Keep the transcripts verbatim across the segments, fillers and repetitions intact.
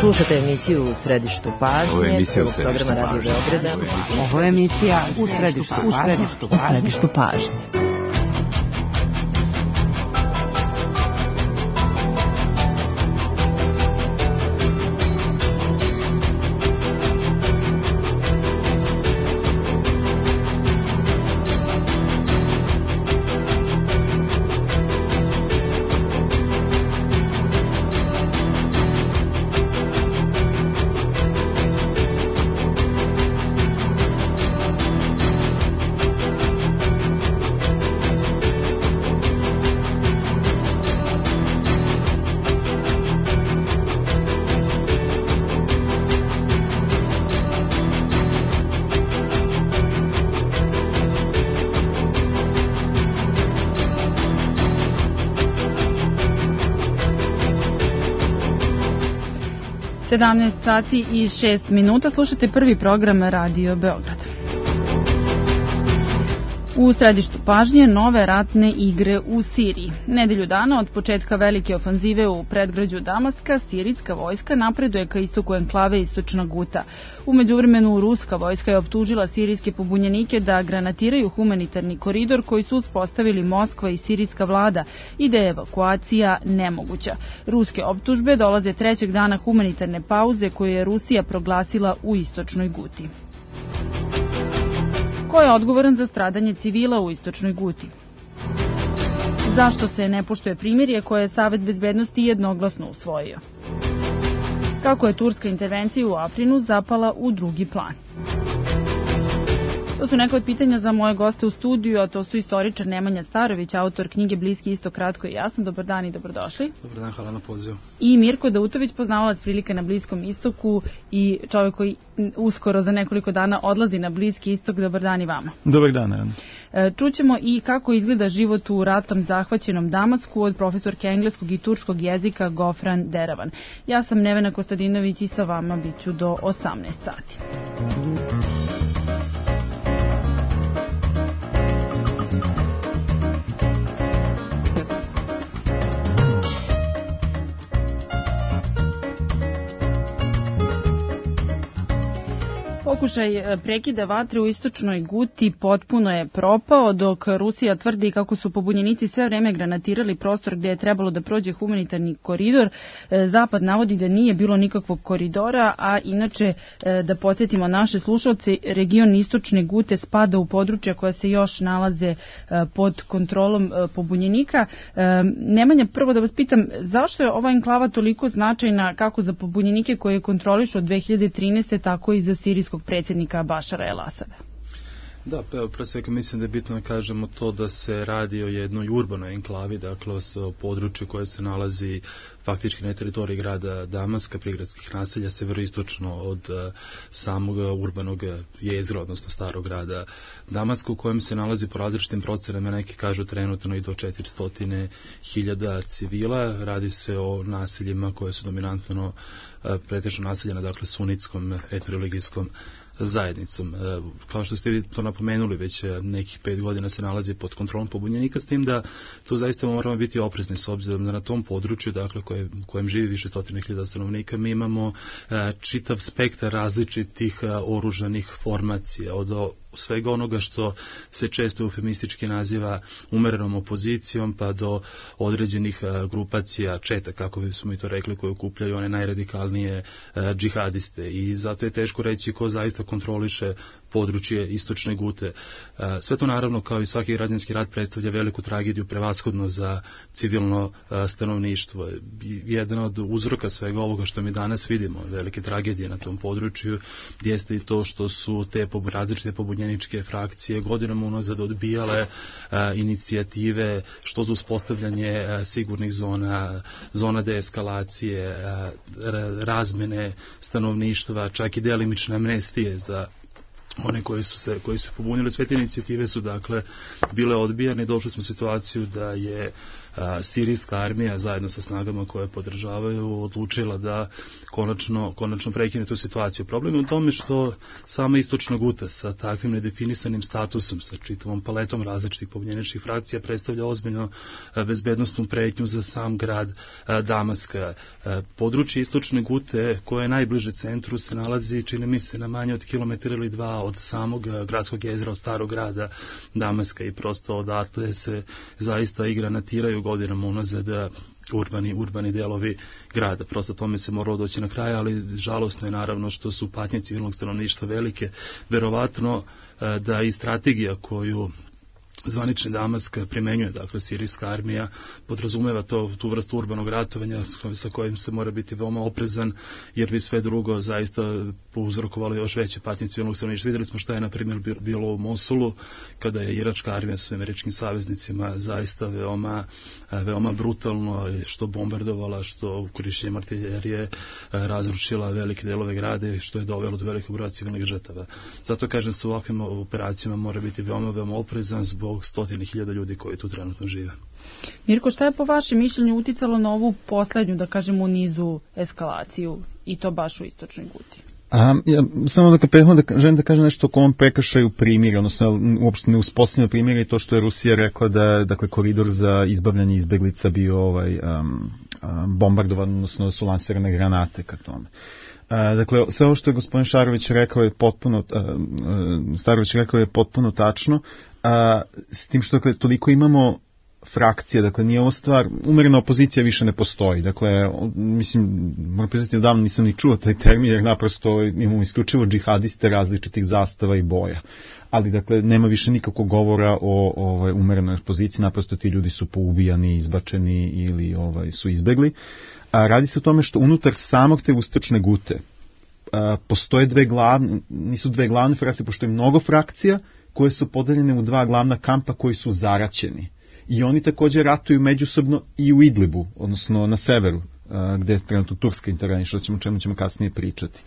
Slušate emisiju U središtu pažnje. Ovo je emisija U središtu pažnje. Ovo je emisija U središtu pažnje. U središtu pažnje. sedamnaest sati i šest minuta, slušate prvi program Radio Beograda. U središtu pažnje nove ratne igre u Siriji. Nedelju dana od početka velike ofanzive u predgrađu Damaska, sirijska vojska napreduje ka istoku enklave Istočna Guta. U međuvremenu ruska vojska je optužila sirijske pobunjenike da granatiraju humanitarni koridor koji su uspostavili Moskva i sirijska vlada i da je evakuacija nemoguća. Ruske optužbe dolaze trećeg dana humanitarne pauze koju je Rusija proglasila u Istočnoj Guti. Ko je odgovoran za stradanje civila u Istočnoj Guti? Zašto se ne poštuje primirje koje je Savet bezbednosti jednoglasno usvojio? Kako je turska intervencija u Afrinu zapala u drugi plan? To su neka od pitanja za moje goste u studiju, a to su istoričar Nemanja Starović, autor knjige Bliski istok kratko i jasno. Dobar dan i dobrodošli. Dobar dan, hvala na pozivu. I Mirko Dautović, poznavalac prilika na Bliskom istoku i čovjek koji uskoro za nekoliko dana odlazi na Bliski istok. Dobar dan i vama. Dobar dan, naravno. Čućemo i kako izgleda život u ratom zahvaćenom Damasku od profesorke engleskog i turskog jezika Gofran Deravan. Ja sam Nevena Kostadinović i sa vama bit ću do osamnaest sati. Pokušaj prekida vatre u Istočnoj Guti potpuno je propao, dok Rusija tvrdi kako su pobunjenici sve vreme granatirali prostor gdje je trebalo da prođe humanitarni koridor. Zapad navodi da nije bilo nikakvog koridora, a inače, da podsjetimo naše slušalce, region Istočne Gute spada u područja koja se još nalaze pod kontrolom pobunjenika. Nemanja, prvo da vas pitam, zašto je ova enklava toliko značajna kako za pobunjenike koje kontrolišu od dve hiljade trinaeste. tako i za sirijskog predsjednika Bašara el-Asada? Da, pa evo, pre svega mislim da je bitno da kažemo to da se radi o jednoj urbanoj enklavi, dakle o području koje se nalazi faktički na teritoriji grada Damaska, prigradskih naselja, severoistočno od uh, samog urbanog jezgra, odnosno starog grada Damaska, u kojem se nalazi po različitim procenama, neki kažu trenutno i do četiristo hiljada civila. Radi se o naseljima koje su dominantno uh, pretežno naseljena, dakle sunitskom etnoreligijskom zajednicom. Kao što ste vi to napomenuli, već nekih pet godina se nalazi pod kontrolom pobunjenika, s tim da tu zaista moramo biti oprezni s obzirom da na tom području, dakle koje, kojem živi više stotine hiljada stanovnika, mi imamo čitav spektar različitih oružanih formacija, od svega onoga što se često eufemistički naziva umerenom opozicijom, pa do određenih grupacija, četa, kako bismo i to rekli, koje okupljaju one najradikalnije džihadiste. I zato je teško reći ko zaista kontroliše područje Istočne Gute. Sve to naravno, kao i svaki građanski rat, predstavlja veliku tragediju prevashodno za civilno stanovništvo. Jedan od uzroka svega ovoga što mi danas vidimo, velike tragedije na tom području, jeste i to što su te različite pobunjeničke frakcije godinama unazad odbijale inicijative što za uspostavljanje sigurnih zona, zona deeskalacije, razmene stanovništva, čak i delimične amnestije za one koji su se koji su pobunili. Sve te inicijative su dakle bile odbijane. Došli smo u situaciju da je a, sirijska armija zajedno sa snagama koje podržavaju odlučila da konačno, konačno prekine tu situaciju. Problem je u tome što sama istočna Guta sa takvim nedefinisanim statusom, sa čitavom paletom različitih pobunjeničkih frakcija predstavlja ozbiljno a, bezbednostnu pretnju za sam grad a, Damaska. A, područje istočne Gute koje je najbliže centru se nalazi, čini mi se, na manje od kilometra ili dva od samog gradskog jezera, od starog grada Damaska, i prosto odatle se zaista i granatiraju godinama unazad urbani, urbani delovi grada. Prosto tome se moralo doći na kraj, ali žalosno je naravno što su patnje civilnog stanovništva velike. Verovatno da i strategija koju zvanični Damask primenjuje, dakle sirijska armija, podrazumeva to, tu vrstu urbanog ratovanja sa kojim se mora biti veoma oprezan, jer bi sve drugo zaista uzrokovalo još veće patnje civilnog stanovništva. Videli smo šta je na primjer bilo u Mosulu, kada je iračka armija sa američkim saveznicima zaista veoma, veoma brutalno što bombardovala, što korišćenjem artiljerije razrušila velike delove grada, što je dovelo do velikog broja civilnih žrtava. Zato kažem, sa ovakvim operacijama mora biti veoma, veoma oprezan zbog stotine hiljada ljudi koji tu trenutno žive. Mirko, šta je po vašem mišljenju uticalo na ovu poslednju, da kažemo, u nizu eskalaciju, i to baš u istočnoj Guti? A, ja, samo da prethodno da želim da kažem nešto o kom prekršaju primirja, odnosno uopšte ne uspostavljeno primirje, i to što je Rusija rekla da je, dakle, koridor za izbavljanje izbeglica bio ovaj, um, um, bombardovan, odnosno da su lansirane granate ka tome. A, dakle, sve ovo što je gospodin Šarović rekao je potpuno, a, a, Starović rekao je potpuno tačno, a, s tim što, dakle, toliko imamo frakcije, dakle nije ovo stvar, umerena opozicija više ne postoji, dakle, mislim, moram priznati, odavno nisam ni čuo taj termin, jer naprosto imamo isključivo džihadiste različitih zastava i boja, ali dakle nema više nikakvog govora o ovaj, umerenoj opoziciji, naprosto ti ljudi su poubijani, izbačeni ili ovaj, su izbegli. A radi se o tome što unutar samog te istočne Gute a, postoje dve glavne, nisu dve glavne frakcije, pošto je mnogo frakcija koje su podeljene u dva glavna kampa koji su zaraćeni. I oni također ratuju međusobno i u Idlibu, odnosno na severu, gde je trenutno Turska interveniše, o čemu, čemu ćemo kasnije pričati.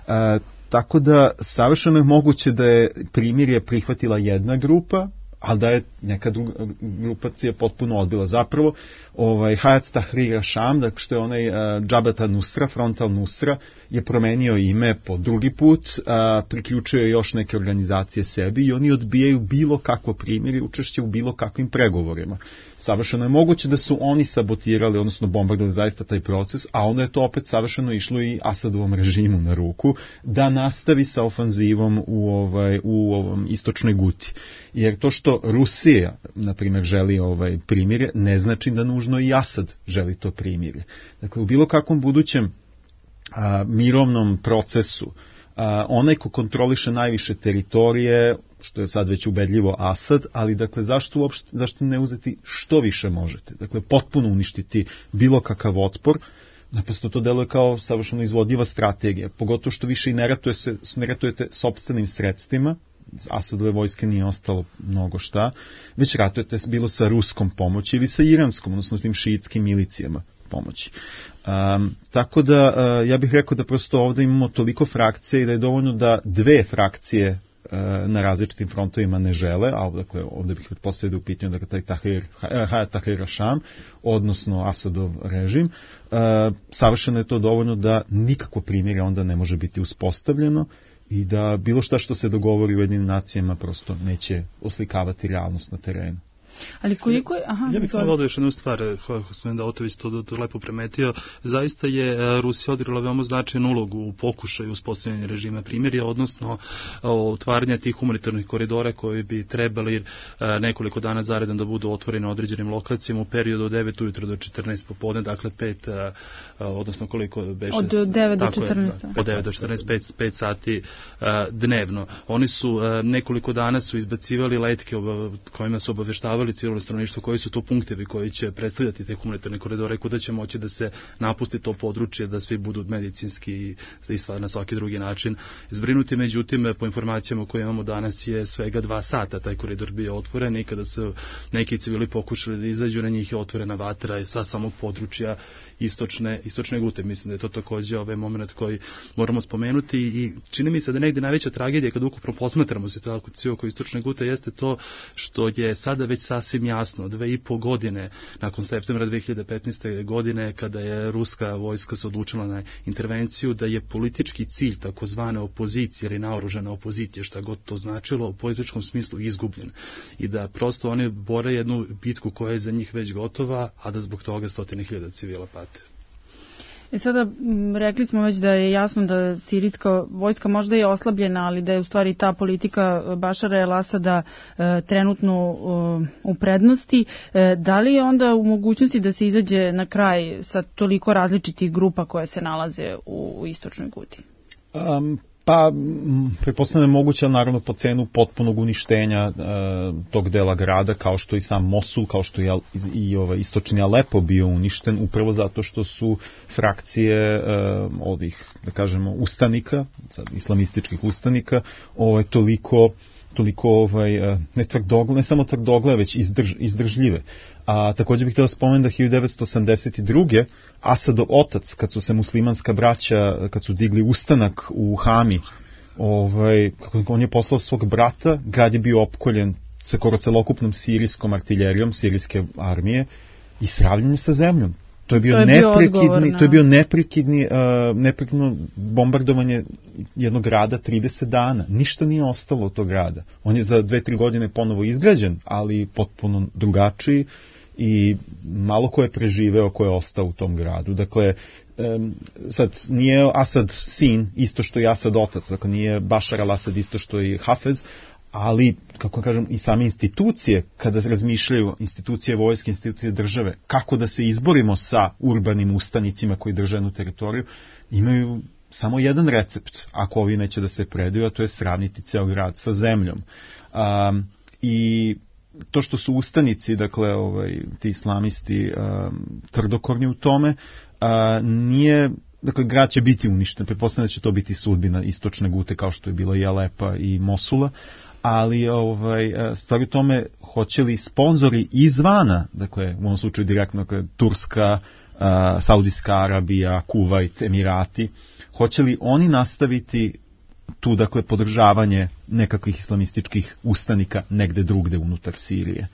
A, tako da savršeno je moguće da je primirje prihvatila jedna grupa, ali da je neka druga grupacija potpuno odbila. Zapravo, ovaj, Hayat Tahrir al-Sham, dakle što je onaj uh, Jabhat al-Nusra, Front al-Nusra, je promenio ime po drugi put, uh, priključio je još neke organizacije sebi i oni odbijaju bilo kakvo primirje, učešće u bilo kakvim pregovorima. Savršeno je moguće da su oni sabotirali, odnosno bombardovali zaista taj proces, a onda je to opet savršeno išlo i Asadovom režimu na ruku, da nastavi sa ofanzivom u, ovaj, u ovom istočnoj Guti. Jer to što Rusija, na primjer, želi ovaj primirje, ne znači da nužno i Asad želi to primirje. Dakle, u bilo kakvom budućem a, mirovnom procesu, a, onaj ko kontroliše najviše teritorije, što je sad već ubedljivo Asad, ali dakle, zašto uopšte, zašto ne uzeti što više možete? Dakle, potpuno uništiti bilo kakav otpor. Naprosto to deluje kao savršeno izvodljiva strategija, pogotovo što više i ne ratuje se, ne ratujete sopstvenim sredstvima, Asadove vojske nije ostalo mnogo šta, već ratujete bilo sa ruskom pomoći ili sa iranskom, odnosno tim šiitskim milicijama pomoći. Um, tako da uh, ja bih rekao da prosto ovdje imamo toliko frakcije i da je dovoljno da dve frakcije uh, na različitim frontovima ne žele, a dakle, ovdje bih pretpostavio u pitanju dakle, taj Tahrir, Hayat Tahrir al-Sham, odnosno Asadov režim, uh, savršeno je to dovoljno da nikakvo primirje onda ne može biti uspostavljeno i da bilo šta što se dogovori u Ujedinjenim nacijama prosto neće oslikavati realnost na terenu. Ali koliko je... Aha, ja bih samo dodao još jednu stvar, gospodin Daotović to, to lepo primetio. Zaista je Rusija odigrala veoma značajnu ulogu u pokušaju uspostavljanja režima primirja, odnosno otvaranja tih humanitarnih koridora koji bi trebali nekoliko dana zaredom da budu otvoreni na određenim lokacijama u periodu od devet ujutro do četrnaest popodne, dakle pet, odnosno koliko beše... Od devet do četrnaest. Je, od devet do četrnaest, pet sati dnevno. Oni su nekoliko dana su izbacivali letke kojima su obaveštavali obaveštavali civilno stanovništvo koji su to punktevi koji će predstavljati te humanitarne koridore, kuda će moći da se napusti to područje, da svi budu medicinski i na svaki drugi način zbrinuti. Međutim, po informacijama koje imamo danas je svega dva sata taj koridor bio otvoren i kada su neki civili pokušali da izađu, na njih je otvorena vatra sa samog područja istočne, istočne Gute. Mislim da je to takođe ovaj moment koji moramo spomenuti i čini mi se da negde najveća tragedija kad ukupno posmatramo situaciju oko istočne Gute jeste to što je sada već sasvim jasno, dve i po godine nakon septembra dve hiljade petnaeste. godine kada je ruska vojska se odlučila na intervenciju, da je politički cilj takozvane opozicije ili naoružane opozicije, šta god to značilo, u političkom smislu izgubljen i da prosto oni bore jednu bitku koja je za njih već gotova, a da zbog toga stotine hiljada civila pate. E sada, rekli smo već da je jasno da sirijska vojska možda je oslabljena, ali da je u stvari ta politika Bašara el-Asada e, trenutno e, u prednosti. E, da li je onda u mogućnosti da se izađe na kraj sa toliko različitih grupa koje se nalaze u, u istočnoj Guti? Um, Pa, pretpostavljam je moguće, naravno, po cenu potpunog uništenja e, tog dela grada, kao što i sam Mosul, kao što i, i ovaj, istočni Alepo bio uništen, upravo zato što su frakcije e, ovih, da kažemo, ustanika, islamističkih ustanika, ovaj, toliko toliko ovaj, ne tvrdogle, ne samo tvrdogle, već izdrž, izdržljive. A također bih htio spomenuti da hiljadu devetsto osamdeset druge. Asadov otac, kad su se muslimanska braća, kad su digli ustanak u Hami, ovaj, on je poslao svog brata, grad je bio opkoljen skoro celokupnom sirijskom artiljerijom, sirijske armije i sravljen sa zemljom. To je bio, to je bio neprekidni, na... to je bio neprekidni, uh, neprekidno bombardovanje jednog grada trideset dana. Ništa nije ostalo od tog grada. On je za dve, tri godine ponovo izgrađen, ali potpuno drugačiji i malo ko je preživeo, ko je ostao u tom gradu. Dakle, um, sad, nije Asad sin isto što i Asad otac, dakle nije Bašar al-Asad isto što i Hafez, ali, kako kažem, i same institucije, kada razmišljaju, institucije vojske, institucije države, kako da se izborimo sa urbanim ustanicima koji drže jednu teritoriju, imaju samo jedan recept, ako ovi neće da se predaju, a to je sravniti ceo grad sa zemljom. Um, I to što su ustanici, dakle, ovaj, ti islamisti, um, tvrdokorni u tome, uh, nije... Dakle, grad će biti uništen, pretpostavljam da će to biti sudbina istočne Gute, kao što je bila i Alepa i Mosula, ali ovaj, stvari u tome, hoće li sponzori izvana, dakle, u ovom slučaju direktno, dakle, Turska, uh, Saudijska Arabija, Kuvajt, Emirati, hoće li oni nastaviti tu, dakle, podržavanje nekakvih islamističkih ustanika negde drugde unutar Sirije?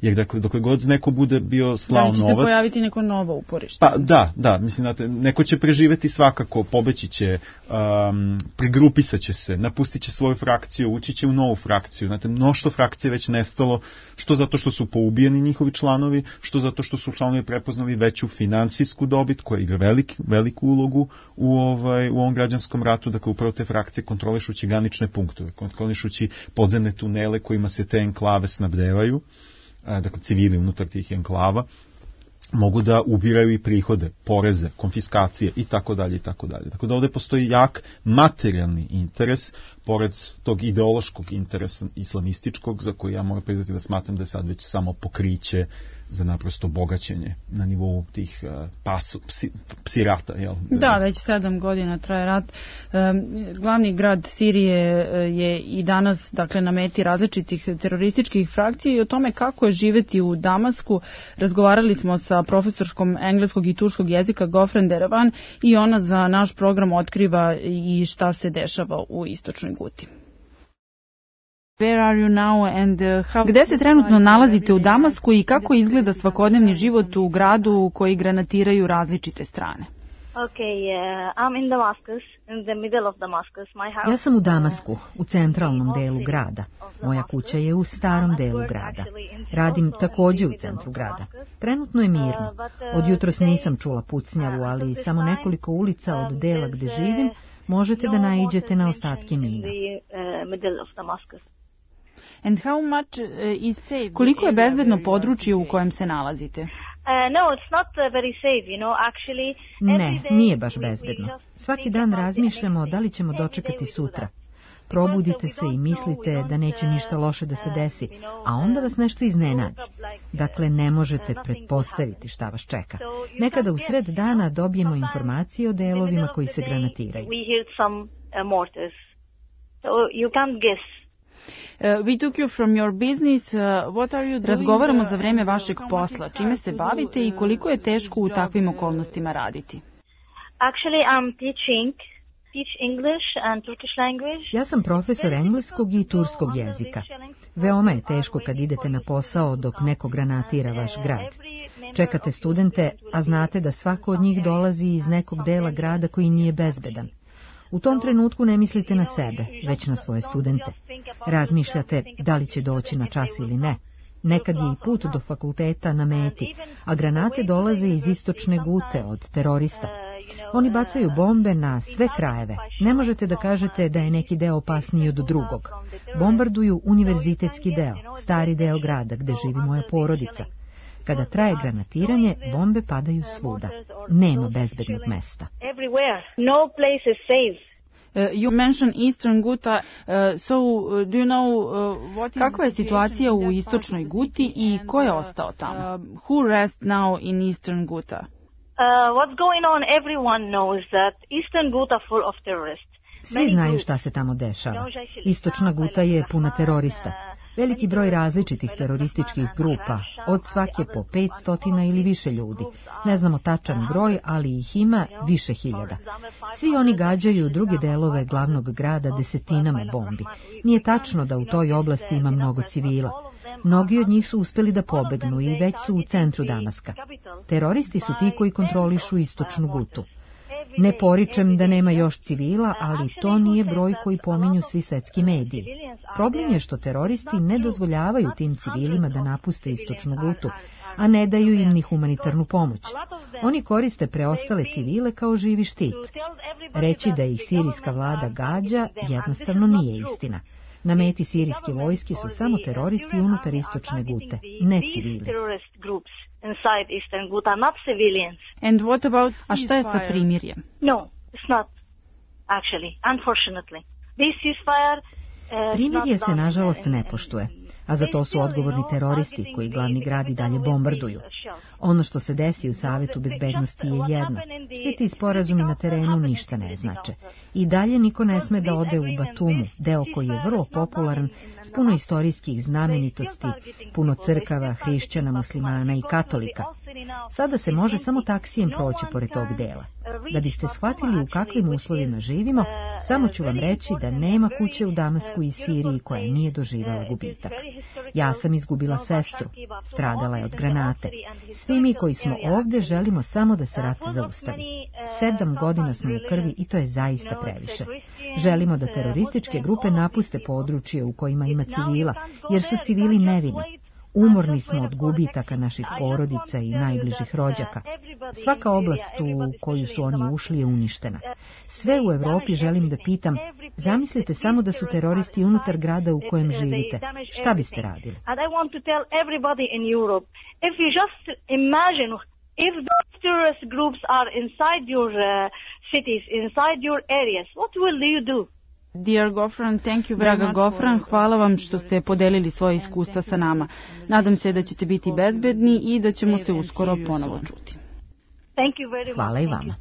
Jer, dakle, dokle god neko bude bio slao novac... Da li će se pojaviti neko novo uporište? Pa da, da, mislim, znate, neko će preživeti svakako, pobeći će, um, prigrupisat će se, napustit će svoju frakciju, ući će u novu frakciju. Znate, mnoštvo frakcije već nestalo, što zato što su poubijeni njihovi članovi, što zato što su članovi prepoznali veću financijsku dobit, koja igra velik, veliku ulogu u, ovaj, u ovom građanskom ratu, dakle, upravo te frakcije kontrolišući granične punktove, kontrolišući podzemne tunele kojima se te enklave snabdevaju, dakle civili unutar tih enklava, mogu da ubiraju i prihode, poreze, konfiskacije i tako dalje i tako dalje. Tako da ovdje postoji jak materijalni interes, pored tog ideološkog interesa islamističkog, za koji ja moram priznati da smatram da je sad već samo pokriće za naprosto bogaćenje na nivou tih uh, pasu, psi, psi rata. Jel? Da, već sedam godina traje rat. Um, glavni grad Sirije je i danas, dakle, na meti različitih terorističkih frakcija i o tome kako je živeti u Damasku razgovarali smo sa profesorskom engleskog i turskog jezika Gofren Deravan i ona za naš program otkriva i šta se dešava u istočnoj Guti. Where are you now and how... Gde se trenutno nalazite u Damasku i kako izgleda svakodnevni život u gradu koji granatiraju različite strane? Okay, uh, I'm in Damascus, in the middle of Damascus. My house... Ja sam u Damasku, u centralnom delu grada. Moja kuća je u starom delu grada. Radim također u centru grada. Trenutno je mirno. Od jutros nisam čula pucnjavu, ali samo nekoliko ulica od dela gde živim možete da naiđete na ostatke mina. And how much is safe? Koliko je bezbedno područje u kojem se nalazite? Uh, no, it's not uh, very safe, you know, actually. Ne, nije baš bezbedno. Svaki dan razmišljamo da li ćemo dočekati sutra. Probudite se i mislite da neće ništa loše da se desi, a onda vas nešto iznenadi. Dakle, ne možete pretpostaviti šta vas čeka. Nekada u sred dana dobijemo informacije o delovima koji se granatiraju. Uh, we took you from your business. Uh, what are you doing? Razgovaramo za vreme vašeg posla. Čime se bavite i koliko je teško u takvim okolnostima raditi? Actually, I'm teaching teach English and Turkish language. Ja sam profesor engleskog i turskog jezika. Veoma je teško kad idete na posao dok neko granatira vaš grad. Čekate studente, a znate da svako od njih dolazi iz nekog dela grada koji nije bezbedan. U tom trenutku ne mislite na sebe, već na svoje studente. Razmišljate da li će doći na čas ili ne. Nekad je i put do fakulteta na meti, a granate dolaze iz istočne Gute od terorista. Oni bacaju bombe na sve krajeve. Ne možete da kažete da je neki deo opasniji od drugog. Bombarduju univerzitetski deo, stari deo grada gde živi moja porodica. Kada traje granatiranje, bombe padaju svuda. Nema bezbednog mesta. Uh, you mentioned Eastern Ghouta, uh, so uh, do you know uh, what is Kakva je situacija u istočnoj Guti i ko je ostao tamo? Uh, who rests now in Eastern Ghouta? Uh, what's going on? Everyone knows that Eastern Ghouta full of terrorists. Svi znaju šta se tamo dešava. Istočna Guta je puna terorista. Veliki broj različitih terorističkih grupa, od svake po petstotina ili više ljudi. Ne znamo tačan broj, ali ih ima više hiljada. Svi oni gađaju druge delove glavnog grada desetinama bombi. Nije tačno da u toj oblasti ima mnogo civila. Mnogi od njih su uspeli da pobegnu i već su u centru Damaska. Teroristi su ti koji kontrolišu istočnu Gutu. Ne poričem da nema još civila, ali to nije broj koji pominju svi svetski mediji. Problem je što teroristi ne dozvoljavaju tim civilima da napuste istočnu Gutu, a ne daju im ni humanitarnu pomoć. Oni koriste preostale civile kao živi štit. Reći da ih sirijska vlada gađa jednostavno nije istina. Na meti sirijske vojske su samo teroristi unutar istočne Gute, ne civili. And what about A šta je sa primirjem? No, it's not. Actually, unfortunately. This ceasefire Primirje se nažalost ne poštuje, a za to su odgovorni teroristi koji glavni grad i dalje bombarduju. Ono što se desi u Savetu bezbednosti je jedno. Svi ti sporazumi na terenu ništa ne znače. I dalje niko ne sme da ode u Batumu, deo koji je vrlo popularan, s puno istorijskih znamenitosti, puno crkava, hrišćana, muslimana i katolika. Sada se može samo taksijem proći pored tog dela. Da biste shvatili u kakvim uslovima živimo, samo ću vam reći da nema kuće u Damasku i Siriji koja nije doživela gubitak. Ja sam izgubila sestru, stradala je od granate. Svi mi koji smo ovdje želimo samo da se rat zaustavi. Sedam godina smo u krvi i to je zaista previše. Želimo da terorističke grupe napuste područje u kojima ima civila, jer su civili nevini. Umorni smo od gubitaka naših porodica i najbližih rođaka. Svaka oblast u koju su oni ušli je uništena. Sve u Evropi želim da pitam, zamislite samo da su teroristi unutar grada u kojem živite. Šta biste radili? If those terrorist groups are inside your uh, cities, inside your areas, what will you do? Dear Gofran, thank you very Draga Gofran, hvala vam što ste podelili svoje iskustva sa nama. Nadam se da ćete biti bezbedni i da ćemo se uskoro ponovo čuti. Hvala i vama.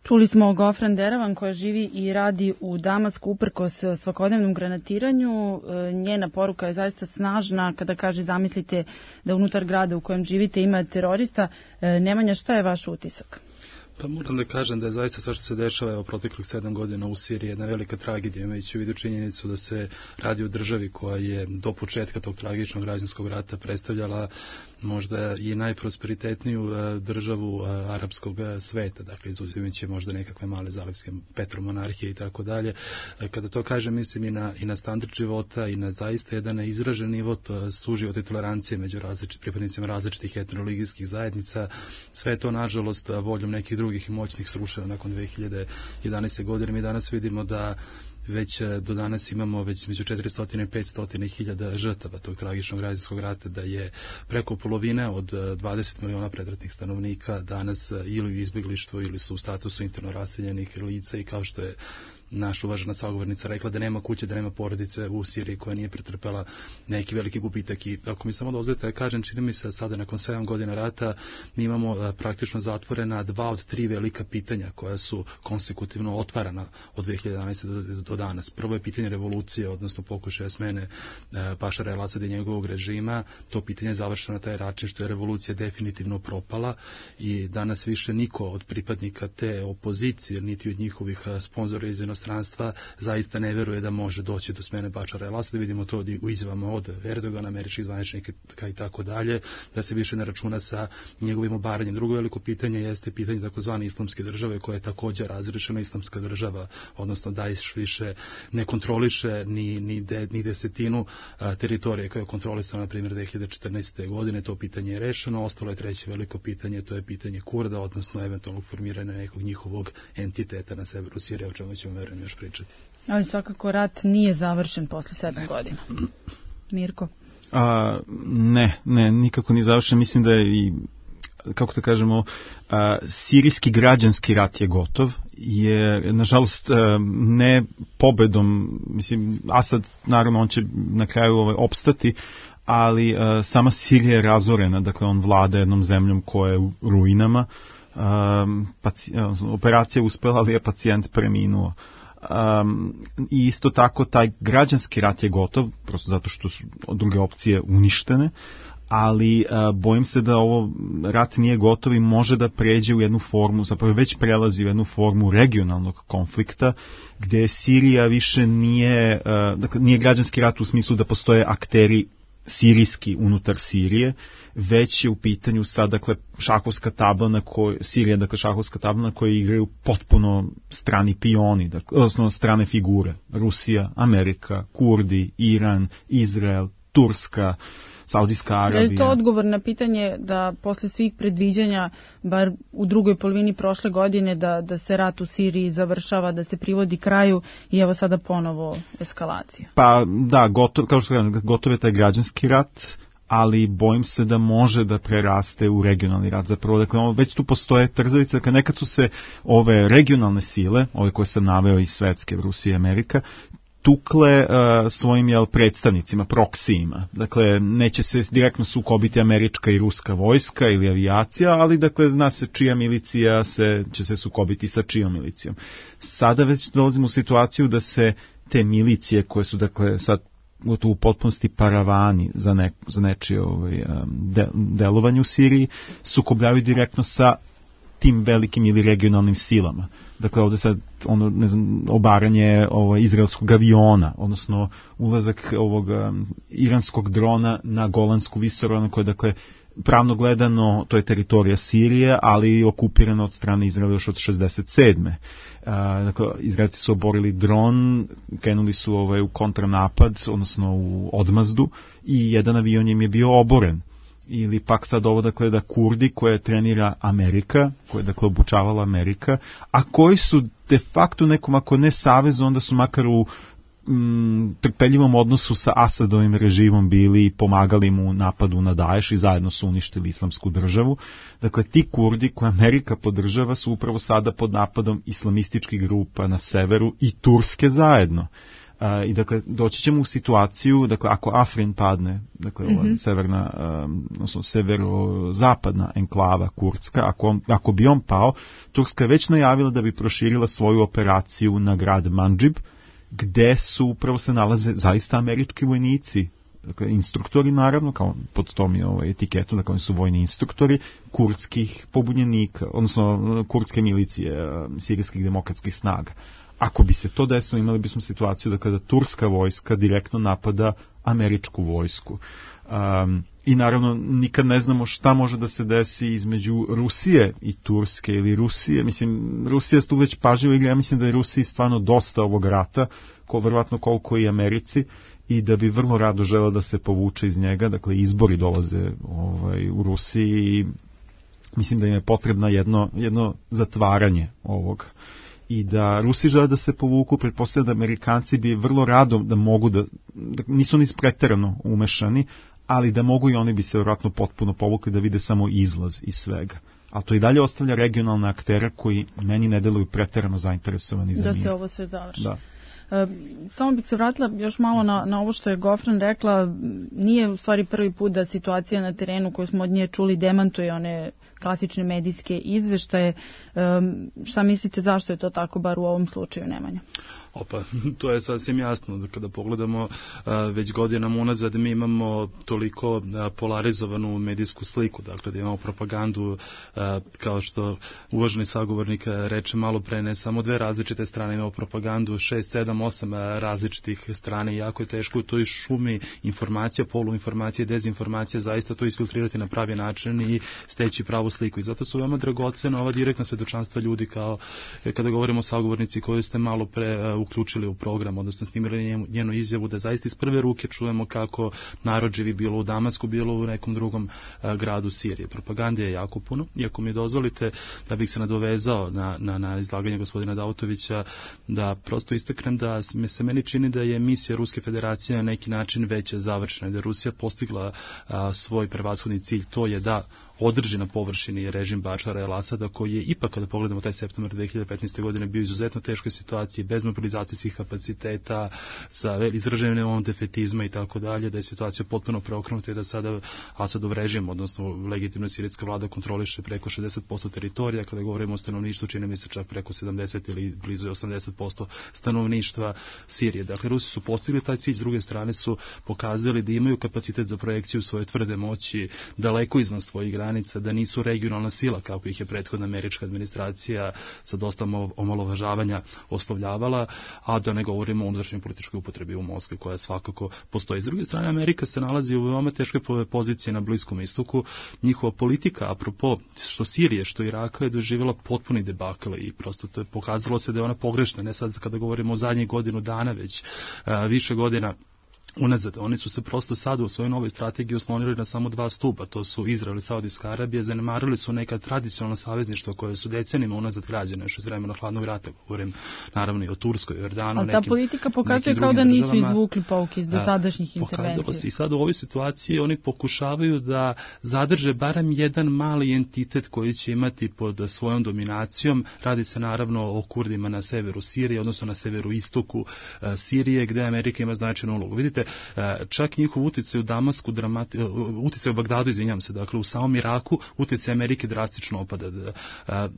Čuli smo Gofran Deravan koja živi i radi u Damasku uprkos svakodnevnom granatiranju. Njena poruka je zaista snažna kada kaže zamislite da unutar grada u kojem živite ima terorista. Nemanja, šta je vaš utisak? Pa moram da kažem da je zaista sve što se dešava evo proteklih sedam godina u Siriji jedna velika tragedija, imajući u vidu činjenicu da se radi o državi koja je do početka tog tragičnog građanskog rata predstavljala možda i najprosperitetniju državu arapskog sveta, dakle izuzimajući možda nekakve male zalivske petromonarhije i tako dalje. Kada to kažem, mislim i na, i na standard života i na zaista jedan izražen nivo suživota i tolerancije među različit, pripadnicima različitih etnoreligijskih zajednica. Sve to, nažalost, voljom nekih drugih i moćnih srušeno nakon dve hiljade jedanaeste godine. Mi danas vidimo da već do danas imamo već među četiristo i petsto hiljada žrtava tog tragičnog građanskog rata, da je preko polovine od dvadeset miliona predratnih stanovnika danas ili u izbjeglištvu ili su u statusu interno raseljenih lica i kao što je naša uvažena sagovornica rekla, da nema kuće, da nema porodice u Siriji koja nije pretrpela neki veliki gubitak. I ako mi samo dozvolite da kažem, čini mi se sada nakon sedam godina rata mi imamo a, praktično zatvorena dva od tri velika pitanja koja su konsekutivno otvarana od dve hiljade jedanaeste do, do danas. Prvo je pitanje revolucije, odnosno pokušaja smene Bašara el-Asada i njegovog režima. To pitanje je završeno na taj način što je revolucija definitivno propala i danas više niko od pripadnika te opozicije, niti od njihovih sponzora iz inostranstva zaista ne veruje da može doći do smene Bašara el-Asada. Vidimo to u izjavama od Erdogana, američkih zvaničnika i tako dalje, da se više ne računa sa njegovim obaranjem. Drugo veliko pitanje jeste pitanje takozvane islamske države, koja je također razrešena. Islamska država, odnosno Daesh više ne kontroliše ni, ni, de, ni desetinu a, teritorije koja je kontrolisana, na primjer, dve hiljade četrnaeste. godine. To pitanje je rešeno. Ostalo je treće veliko pitanje, to je pitanje Kurda, odnosno eventualnog formiranja nekog njihovog entiteta na severu Sirije, o čemu ćemo verujem još pričati. Ali svakako rat nije završen posle sedam godina. Mirko? A, ne, ne, nikako nije završen. Mislim da je i, kako da kažemo, a, sirijski građanski rat je gotov, je, nažalost, a, ne pobedom, mislim, Asad, naravno, on će na kraju ovaj, opstati, ali a, sama Sirija je razorena, dakle, on vlada jednom zemljom koja je u ruinama. A, paci, a, operacija je uspela, ali je pacijent preminuo. Um, i isto tako taj građanski rat je gotov, prosto zato što su druge opcije uništene, ali uh, bojim se da ovo rat nije gotov i može da pređe u jednu formu, zapravo već prelazi u jednu formu regionalnog konflikta, gde Sirija više nije, uh, dakle, nije građanski rat u smislu da postoje akteri sirijski unutar Sirije, već je u pitanju sad, dakle, šahovska tabla na kojoj, Sirija, dakle, šahovska tabla na kojoj igraju potpuno strani pioni, dakle, odnosno strane figure. Rusija, Amerika, Kurdi, Iran, Izrael, Turska, Saudijska Arabija. Je li to odgovor na pitanje da posle svih predviđanja, bar u drugoj polovini prošle godine, da, da se rat u Siriji završava, da se privodi kraju i evo sada ponovo eskalacija? Pa da, gotov, kao što kažem, gotov je taj građanski rat, ali bojim se da može da preraste u regionalni rat. Zapravo, dakle, već tu postoje trzavice, dakle, nekad su se ove regionalne sile, ove koje sam naveo iz Svetske, Rusija i Amerika, tukle uh, svojim jel, predstavnicima, proksijima. Dakle, neće se direktno sukobiti američka i ruska vojska ili avijacija, ali dakle, zna se čija milicija se, će se sukobiti sa čijom milicijom. Sada već dolazimo u situaciju da se te milicije koje su, dakle, sad u potpunosti paravani za, ne, za nečije ovaj, de, delovanje u Siriji, sukobljavaju direktno sa tim velikim ili regionalnim silama. Dakle, ovdje sad ono, ne znam, obaranje ovo, izraelskog aviona, odnosno ulazak ovog um, iranskog drona na Golansku visoravni, koja, dakle, pravno gledano, to je teritorija Sirije, ali okupirana od strane Izraela još od šezdeset sedme. A, dakle, Izraelci su oborili dron, krenuli su ovaj, u kontranapad, odnosno u odmazdu, i jedan avion im je bio oboren. Ili pak sad ovo, dakle, da Kurdi koje trenira Amerika, koje, dakle, obučavala Amerika, a koji su de facto nekom, ako ne savezu, onda su makar u mm, trpeljivom odnosu sa Asadovim režimom bili i pomagali mu u napadu na Daesh i zajedno su uništili islamsku državu. Dakle, ti Kurdi koje Amerika podržava su upravo sada pod napadom islamističkih grupa na severu i Turske zajedno. Uh, I dakle, doći ćemo u situaciju, dakle, ako Afrin padne, dakle, mm-hmm. ova severna, um, odnosno severozapadna enklava kurdska, ako, ako bi on pao, Turska je već najavila da bi proširila svoju operaciju na grad Mandžib, gde su upravo se nalaze zaista američki vojnici, dakle, instruktori, naravno, kao pod tom je ovaj etiketu, dakle, oni su vojni instruktori kurdskih pobunjenika, odnosno kurdske milicije, sirijskih demokratskih snaga. Ako bi se to desilo, imali bismo situaciju da kada turska vojska direktno napada američku vojsku. Um, I naravno, nikad ne znamo šta može da se desi između Rusije i Turske ili Rusije. Mislim, Rusija tu već pažljivo igra, ja mislim da je Rusiji stvarno dosta ovog rata, ko, verovatno koliko i Americi, i da bi vrlo rado žela da se povuče iz njega. Dakle, izbori dolaze ovaj, u Rusiji i mislim da im je potrebno jedno, jedno zatvaranje ovog. i da Rusi žele da se povuku, pretpostavljam da Amerikanci bi vrlo rado da mogu da, da nisu ni preterano umešani, ali da mogu i oni bi se vjerojatno potpuno povukli da vide samo izlaz iz svega. A to i dalje ostavlja regionalne aktere koji meni ne deluju preterano zainteresovani za da mir. se ovo sve završi. Da. Samo bih se vratila još malo na, na ovo što je Gofran rekla. Nije u stvari prvi put da situacija na terenu koju smo od nje čuli demantuje one klasične medijske izveštaje. Um, šta mislite zašto je to tako, bar u ovom slučaju, Nemanja? Opa, to je sasvim jasno. Da kada pogledamo a, već godinama unazad mi imamo toliko a, polarizovanu medijsku sliku, dakle da imamo propagandu, a, kao što uvaženi sagovornik reče malo pre, ne samo dve različite strane, imamo propagandu šest, sedam, osam različitih strane i jako je teško u toj šumi informacija, poluinformacije, dezinformacije, zaista to isfiltrirati na pravi način i steći pravu sliku. I zato su veoma dragocena ova direktna svedočanstva ljudi, kao kada govorimo o sagovornici koju ste malo pre uključili u program, odnosno snimili njenu izjavu, da zaista iz prve ruke čujemo kako narod živi bilo u Damasku, bilo u nekom drugom a, gradu Sirije. Propagande je jako puno. I ako mi dozvolite da bih se nadovezao na, na, na izlaganje gospodina Dautovića, da prosto istaknem da se meni čini da je misija Ruske federacije na neki način već završena, da je Rusija postigla a, svoj prevashodni cilj, to je da održi na površini režim Bašara el-Asada, koji je ipak, kada pogledamo taj septembar dve hiljade petnaeste. godine, bio izuzetno teškoj situaciji, bez mobilizacijskih kapaciteta, sa izraženjem defetizma i tako dalje, da je situacija potpuno preokrenuta i da sada Asadov režim, odnosno legitimna sirijska vlada, kontroliše preko šezdeset posto teritorija, kada govorimo o stanovništvu, čini mi se čak preko sedamdeset ili blizu osamdeset posto stanovništva Sirije. Dakle, Rusi su postigli taj cilj, s druge strane su pokazali da imaju kapacitet za projekciju svoje tvrde moći daleko izvan svojih granica, da nisu regionalna sila, kako ih je prethodna američka administracija sa dosta omalovažavanja oslovljavala, a da ne govorimo o unutrašnjoj političkoj upotrebi u Moskvi, koja svakako postoji. S druge strane, Amerika se nalazi u veoma teškoj poziciji na Bliskom istoku. Njihova politika, apropo što Sirije, što Iraka, je doživjela potpuni debakl i prosto to je pokazalo se da je ona pogrešna, ne sad kada govorimo o zadnjih godinu dana, već a, više godina unazad. Oni su se prosto sada u svojoj novoj strategiji oslonili na samo dva stuba, to su Izrael i Saudijska Arabija, zanemarili su neka tradicionalna savezništva koje su decenijima unazad građene, još iz vremena hladnog rata, govorim naravno i o Turskoj, Jordanu, ali nekim, ta politika pokazuje kao da nisu državama, izvukli pouke iz dosadašnjih intervencija. I sad u ovoj situaciji oni pokušavaju da zadrže barem jedan mali entitet koji će imati pod svojom dominacijom. Radi se naravno o Kurdima na severu Sirije, odnosno na severu istoku uh, Sirije, gde Amerika ima značajnu ulogu. Vidite, čak njihov utjecaj u Damasku, dramati, utjecaj u Bagdadu, izvinjam se, dakle u samom Iraku utjecaj Amerike drastično opada.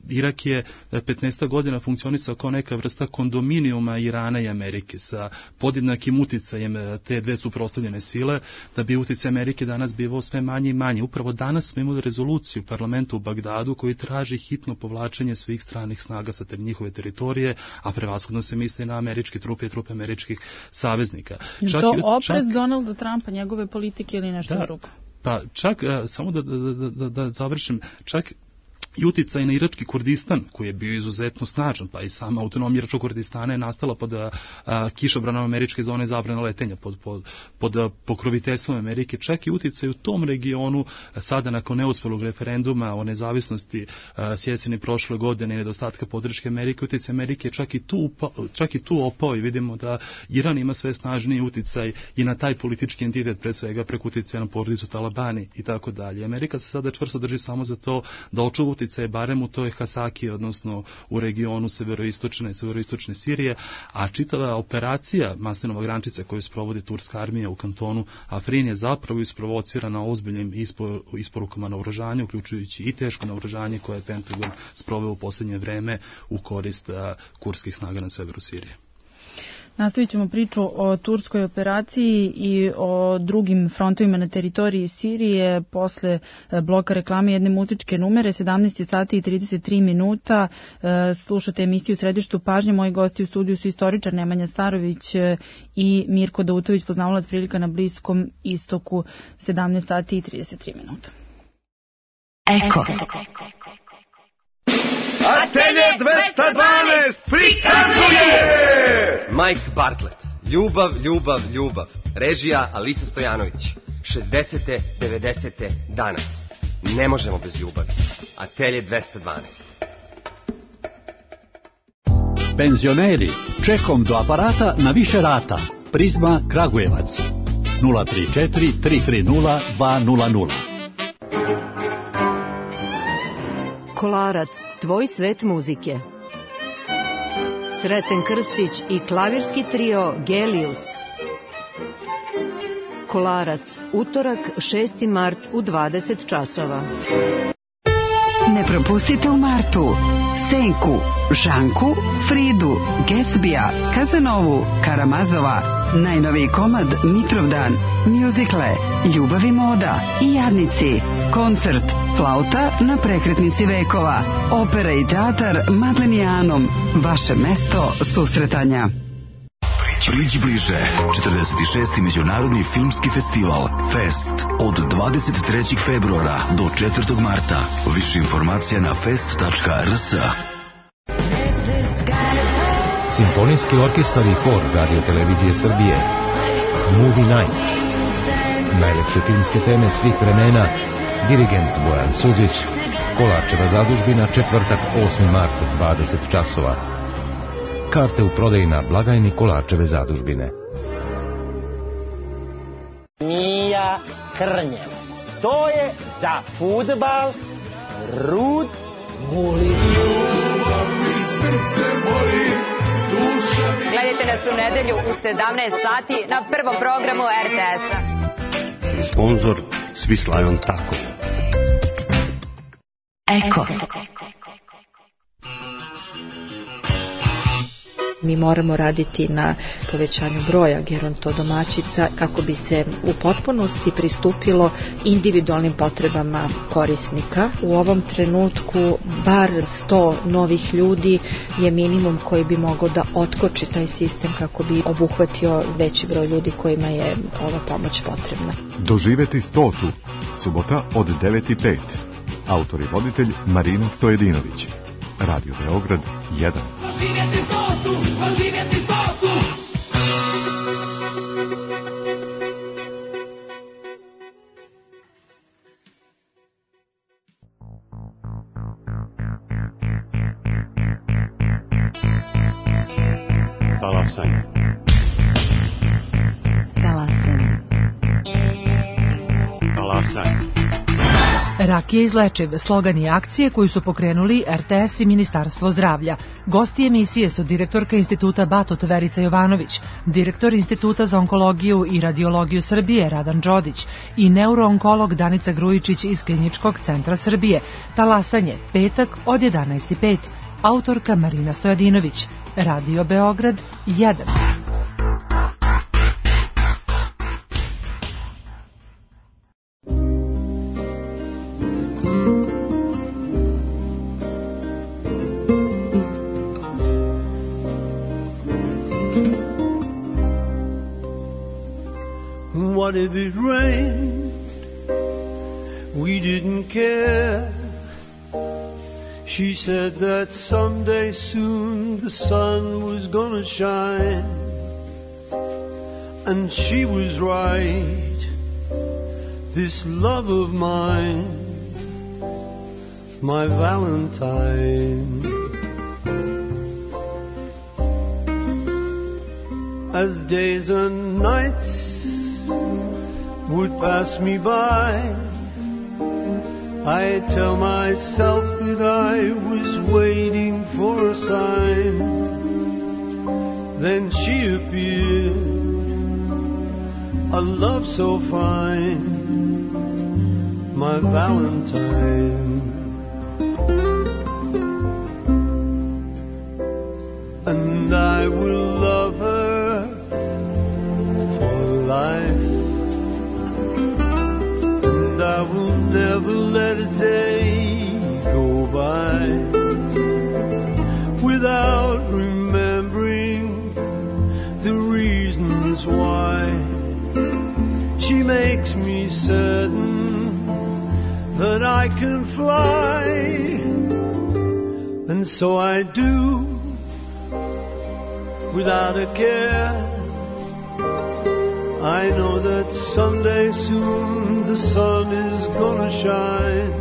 Irak je petnaest godina funkcionisao kao neka vrsta kondominijuma Irana i Amerike sa podjednakim utjecajem te dve suprotstavljene sile, da bi utjecaj Amerike danas bivao sve manje i manje. Upravo danas smo imali rezoluciju u parlamentu u Bagdadu koji traži hitno povlačenje svih stranih snaga sa te njihove teritorije, a prevashodno se misli na američke trupe i trupe američkih saveznika. Čak to oprez Donalda Trumpa, njegove politike ili nešto da, drugo? Pa čak, samo da, da, da, da završim, čak i utjecaj na irački Kurdistan, koji je bio izuzetno snažan, pa i sama autonomija iračkog Kurdistana je nastala pod a, kišobranom američke zone zabrane letenja, pod, pod, pod a, pokroviteljstvom Amerike. Čak i utjecaj u tom regionu, a, sada nakon neuspelog referenduma o nezavisnosti s jeseni prošle godine i nedostatka podrške Amerike, utjecaj Amerike čak i, tu upao, čak i tu opao i vidimo da Iran ima sve snažniji utjecaj i na taj politički entitet, pre svega preko utjecaja na porodicu Talabani i tako dalje. Amerika se sada čvrsto drži samo za to da očuva utjecaj barem u toj Hasaki, odnosno u regionu severoistočne, severoistočne Sirije, a čitava operacija Maslinova grančica koju sprovodi turska armija u kantonu Afrin je zapravo isprovocirana ozbiljnim ispor, isporukama naoružanja, uključujući i teško naoružanje koje je Pentagon sproveo u posljednje vreme u korist a, kurdskih snaga na severu Sirije. Nastavit ćemo priču o turskoj operaciji i o drugim frontovima na teritoriji Sirije posle bloka reklame jedne muzičke numere. sedamnaest sati i trideset tri minuta. Slušate emisiju u središtu pažnje. Moji gosti u studiju su istoričar Nemanja Starović i Mirko Dautović, poznavalac prilika na Bliskom istoku. sedamnaest sati i trideset tri minuta. Eko. Atelje dvesta dvanaest prikazuje Mike Bartlett, Ljubav, ljubav, ljubav. Režija Alisa Stojanović. šezdesete, devedesete danas. Ne možemo bez ljubavi. Atelje dvesta dvanaest. Penzioneri, čekom do aparata na više rata. Prizma Kragujevac. nula tri četiri tri tri nula dva nula nula. Kolarac, tvoj svet muzike. Sreten Krstić i klavirski trio Gelius. Kolarac, utorak šesti mart u dvadeset časova. Ne propustite u martu Senku, Žanku, Fridu, Gatsbija, Kazanovu, Karamazova, najnoviji komad Mitrovdan, mjuzikle, Ljubav i moda i Jadnici, koncert Flauta na prekretnici vekova, opera i teatar Madlenijanom, vaše mesto susretanja. Priđi bliže, četrdeset šesti Međunarodni filmski festival Fest od dvadeset trećeg februara do četvrtog marta. Više informacija na fest tačka r s. Simfonijski orkestar i hor Radio Televizije Srbije. Movie Night. Najlepše filmske teme svih vremena. Dirigent Bojan Suđić. Kolarčeva zadužbina, četvrtak osmi mart, dvadeset časova. Karte u prodaji na blagajni Kolarčeve zadužbine. Mija Krnjevac. To je za fudbal Rud Guli. Gledajte nas u nedelju u sedamnaest sati na prvom programu er te es-a. Sponzor Swiss Tako. Eko. Mi moramo raditi na povećanju broja gerontodomaćica kako bi se u potpunosti pristupilo individualnim potrebama korisnika. U ovom trenutku bar sto novih ljudi je minimum koji bi mogao da otkoči taj sistem kako bi obuhvatio veći broj ljudi kojima je ova pomoć potrebna. Doživeti stotu. Subota od devet i pet. Autor i voditelj Marina Stojedinović. Radio Beograd jedan. Doživjeti stotu, doživjeti stotu. Talasanje. Talasanje. Talasanje. Rak je izlečiv, slogan je akcije koju su pokrenuli er te es i Ministarstvo zdravlja. Gosti emisije su direktorka Instituta Batut Verica Jovanović, direktor Instituta za onkologiju i radiologiju Srbije Radan Đodić i neuroonkolog Danica Grujičić iz Kliničkog centra Srbije. Talasanje, petak od jedanaest i pet. Autorka Marina Stojadinović. Radio Beograd jedan. What if it rained? We didn't care. She said that someday soon the sun was gonna shine. And she was right. This love of mine, my Valentine. As days and nights would pass me by, I tell myself that I was waiting for a sign. Then she appeared, a love so fine, my Valentine. And I will love her for life. I will never let a day go by without remembering the reasons why. She makes me certain that I can fly, and so I do without a care. I know that someday soon the sun is gonna shine,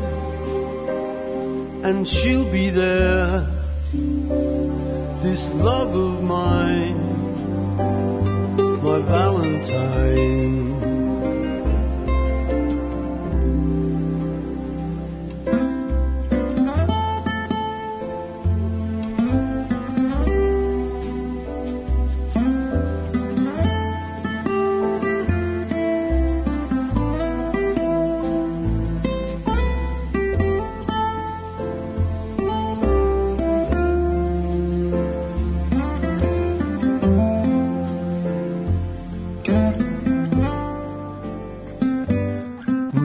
and she'll be there this love of mine, my Valentine.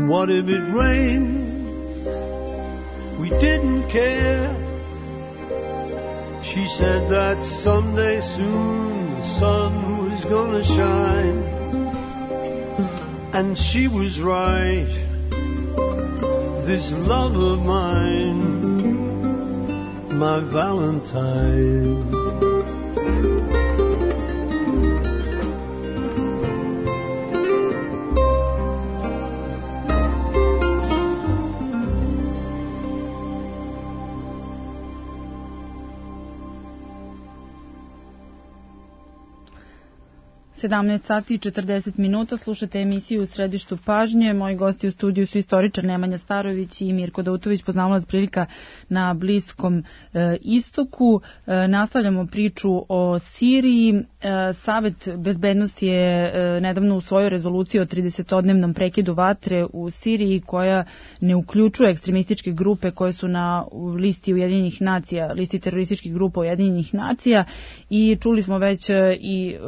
What if it rained? We didn't care. She said that someday soon the sun was gonna shine. And she was right. This love of mine, my Valentine. sedamnaest sati i četrdeset minuta, slušate emisiju U središtu pažnje. Moji gosti u studiju su istoričar Nemanja Starović i Mirko Dautović, poznavalac prilika na Bliskom e, istoku. E, nastavljamo priču o Siriji. E, Savet bezbednosti je e, nedavno usvojio rezoluciju o tridesetodnevnom prekidu vatre u Siriji, koja ne uključuje ekstremističke grupe koje su na listi Ujedinjenih nacija, listi terorističkih grupa Ujedinjenih nacija, i čuli smo već e, i e,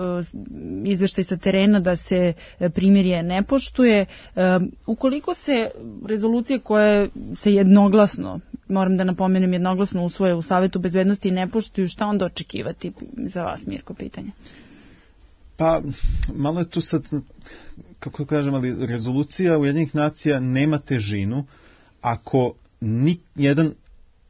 izveštaj sa terena da se primirje ne poštuje. E, ukoliko se rezolucije koje se jednoglasno, moram da napomenem, jednoglasno usvoje u Savetu bezbednosti ne poštuju, šta onda očekivati za vas, Mirko, pitanje? Pa, malo je tu sad, kako kažem, ali rezolucija Ujedinjenih nacija nema težinu ako ni jedan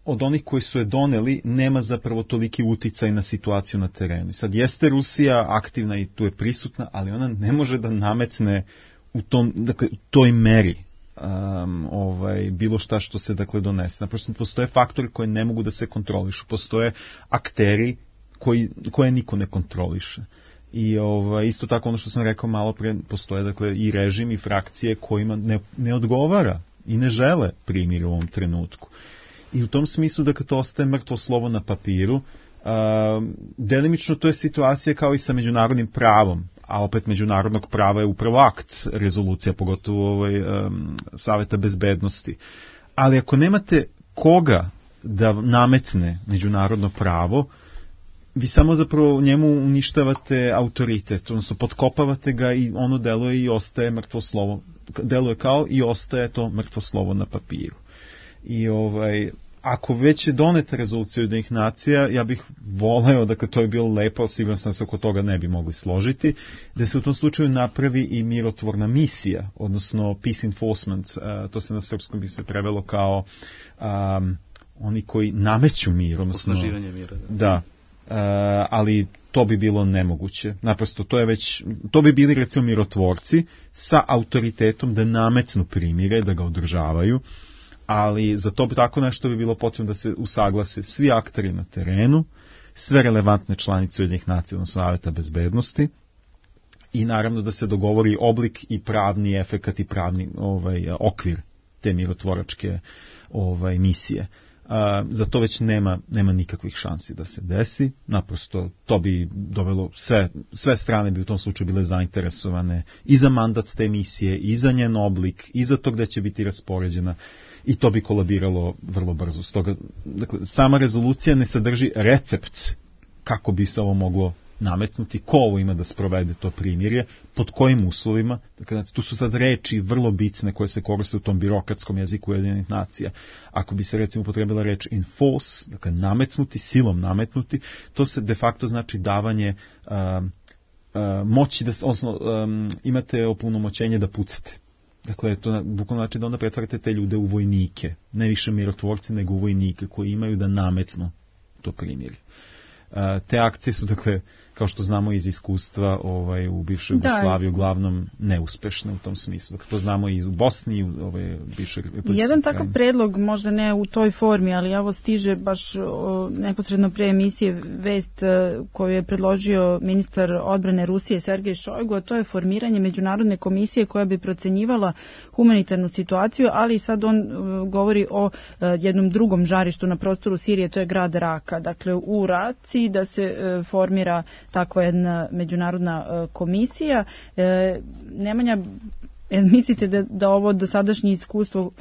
od onih koji su je doneli nema zapravo toliki uticaj na situaciju na terenu. Sad jeste Rusija aktivna i tu je prisutna, ali ona ne može da nametne u tom, dakle, u toj meri um, ovaj, bilo šta što se dakle donese. Naprosto postoje faktori koji ne mogu da se kontrolišu. Postoje akteri koji, koje niko ne kontroliše. I ovaj, isto tako ono što sam rekao malo pre, postoje dakle i režim i frakcije kojima ne, ne odgovara i ne žele primjer u ovom trenutku. I u tom smislu da kad to ostaje mrtvo slovo na papiru, uh, delimično to je situacija kao i sa međunarodnim pravom, a opet međunarodnog prava je upravo akt rezolucija, pogotovo ovaj, um, Saveta bezbednosti. Ali ako nemate koga da nametne međunarodno pravo, vi samo zapravo njemu uništavate autoritet, odnosno potkopavate ga i ono deluje i ostaje mrtvo slovo, deluje kao i ostaje to mrtvo slovo na papiru. I ovaj, ako već je doneta rezolucija Ujedinjenih nacija, ja bih voleo, dakle to je bilo lepo, siguran sam se oko toga ne bi mogli složiti, da se u tom slučaju napravi i mirotvorna misija, odnosno peace enforcement, uh, to se na srpskom bi se prevelo kao um, oni koji nameću mir, odnosno osnaživanje mira. Da. da uh, ali to bi bilo nemoguće. Naprosto to je već, to bi bili recimo mirotvorci sa autoritetom da nametnu primire, da ga održavaju. Ali za to bi tako nešto bi bilo potrebno da se usaglase svi akteri na terenu, sve relevantne članice Ujedinjenih nacija, odnosno Saveta bezbednosti, i naravno da se dogovori oblik i pravni efekat i pravni ovaj, okvir te mirotvoračke ovaj, misije. A, za to već nema, nema nikakvih šansi da se desi, naprosto to bi dovelo, sve, sve strane bi u tom slučaju bile zainteresovane i za mandat te misije, i za njen oblik, i za to gde će biti raspoređena, i to bi kolabiralo vrlo brzo. Stoga, dakle, sama rezolucija ne sadrži recept kako bi se ovo moglo nametnuti, ko ovo ima da sprovede to primirje, pod kojim uslovima. Dakle, tu su sad reči vrlo bitne koje se koriste u tom birokratskom jeziku Ujedinjenih nacija. Ako bi se recimo upotrebila reč enforce, dakle nametnuti, silom nametnuti, to se de facto znači davanje um, uh, moći, da, odnosno um, imate opunomoćenje da pucate. Dakle, to bukvalno znači da onda pretvarate te ljude u vojnike, ne više mirotvorci, nego u vojnike koji imaju da nametnu to primirje. te akcije su, dakle, kao što znamo iz iskustva ovaj, u bivšoj Jugoslaviji, uglavnom neuspešne u tom smislu. To znamo i u Bosni i u ovaj, bivšoj Republici. Jedan takav predlog, možda ne u toj formi, ali evo stiže baš o, neposredno pre emisije vest koju je predložio ministar odbrane Rusije Sergej Šojgu, a to je formiranje međunarodne komisije koja bi procenjivala humanitarnu situaciju, ali sad on govori o jednom drugom žarištu na prostoru Sirije, to je grad Raka. Dakle, u Raci da se formira takva jedna međunarodna komisija. Nemanja, mislite da, da ovo dosadašnje iskustvo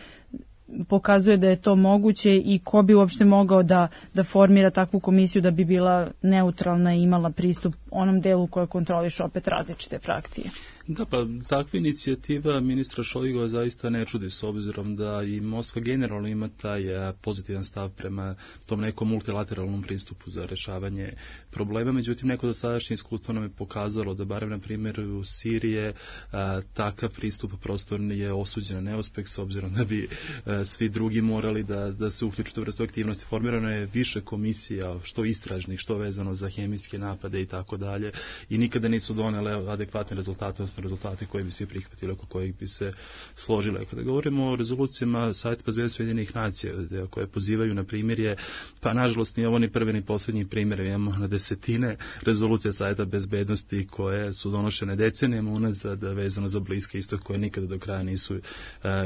pokazuje da je to moguće i ko bi uopšte mogao da, da formira takvu komisiju da bi bila neutralna i imala pristup onom delu koje kontroliš opet različite frakcije? Da, pa takva inicijativa ministra Šojgova zaista ne čudi, s obzirom da i Moskva generalno ima taj pozitivan stav prema tom nekom multilateralnom pristupu za rešavanje problema. Međutim, neko dosadašnje iskustvo nam je pokazalo da barem na primjer u Sirije a, takav pristup prosto je osuđen na neuspeh, s obzirom da bi a, svi drugi morali da, da se uključuju u vrstu aktivnosti. Formirano je više komisija, što istražnih, što vezano za hemijske napade i tako dalje, i nikada nisu donele adekvatne rezultate, rezultate koje bi svi prihvatili, oko kojih bi se složile. Kada govorimo o rezolucijama Saveta bezbednosti Ujedinjenih nacija, koje pozivaju na primjerje, pa nažalost ni ovo ni prvi ni posljednji primjer, imamo na desetine rezolucija Saveta bezbednosti koje su donošene decenijama unazad vezano za Bliski istok, koje nikada do kraja nisu,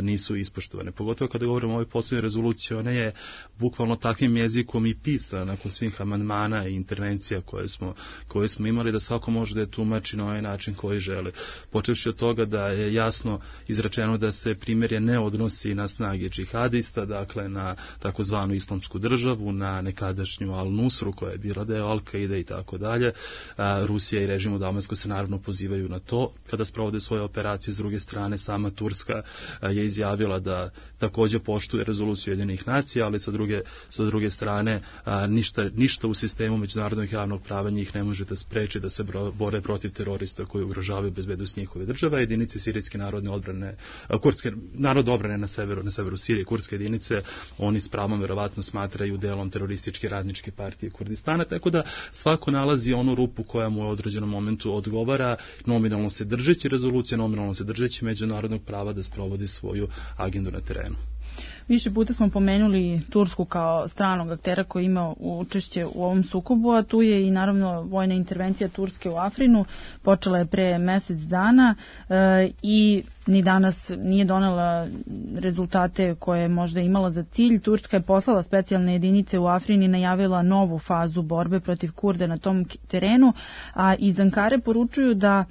nisu ispoštovane. Pogotovo kada govorimo o ovoj posljednjoj rezoluciji, ona je bukvalno takvim jezikom i pisana nakon svih amandmana i intervencija koje smo, koje smo imali, da svako može da je tumači na ovaj način koji želi. Počevši od toga da je jasno izrečeno da se primjerje ne odnosi na snage džihadista, dakle na takozvanu islamsku državu, na nekadašnju Al-Nusru koja je bila deo Al-Kaide i tako dalje. Rusija i režim u Damasku se naravno pozivaju na to. Kada sprovode svoje operacije, s druge strane sama Turska je izjavila da također poštuje rezoluciju Ujedinjenih nacija, ali sa druge, sa druge strane ništa, ništa u sistemu međunarodnog javnog prava njih ne može da spreči da se bore protiv terorista koji ugrožavaju bezbednost njihove države. Jedinice sirijske narodne odbrane, kurdske narodne odbrane na severu, na severu Sirije, kurdske jedinice, oni s pravom verovatno smatraju delom terorističke radničke partije Kurdistana, tako da svako nalazi onu rupu koja mu u određenom momentu odgovara, nominalno se držeći rezolucije, nominalno se držeći međunarodnog prava da sprovodi svoju agendu na terenu. Više puta smo pomenuli Tursku kao stranog aktera koji ima učešće u ovom sukobu, a tu je i naravno vojna intervencija Turske u Afrinu, počela je pre mesec dana e, i ni danas nije donela rezultate koje je možda imala za cilj. Turska je poslala specijalne jedinice u Afrini i najavila novu fazu borbe protiv Kurda na tom terenu, a iz Ankare poručuju da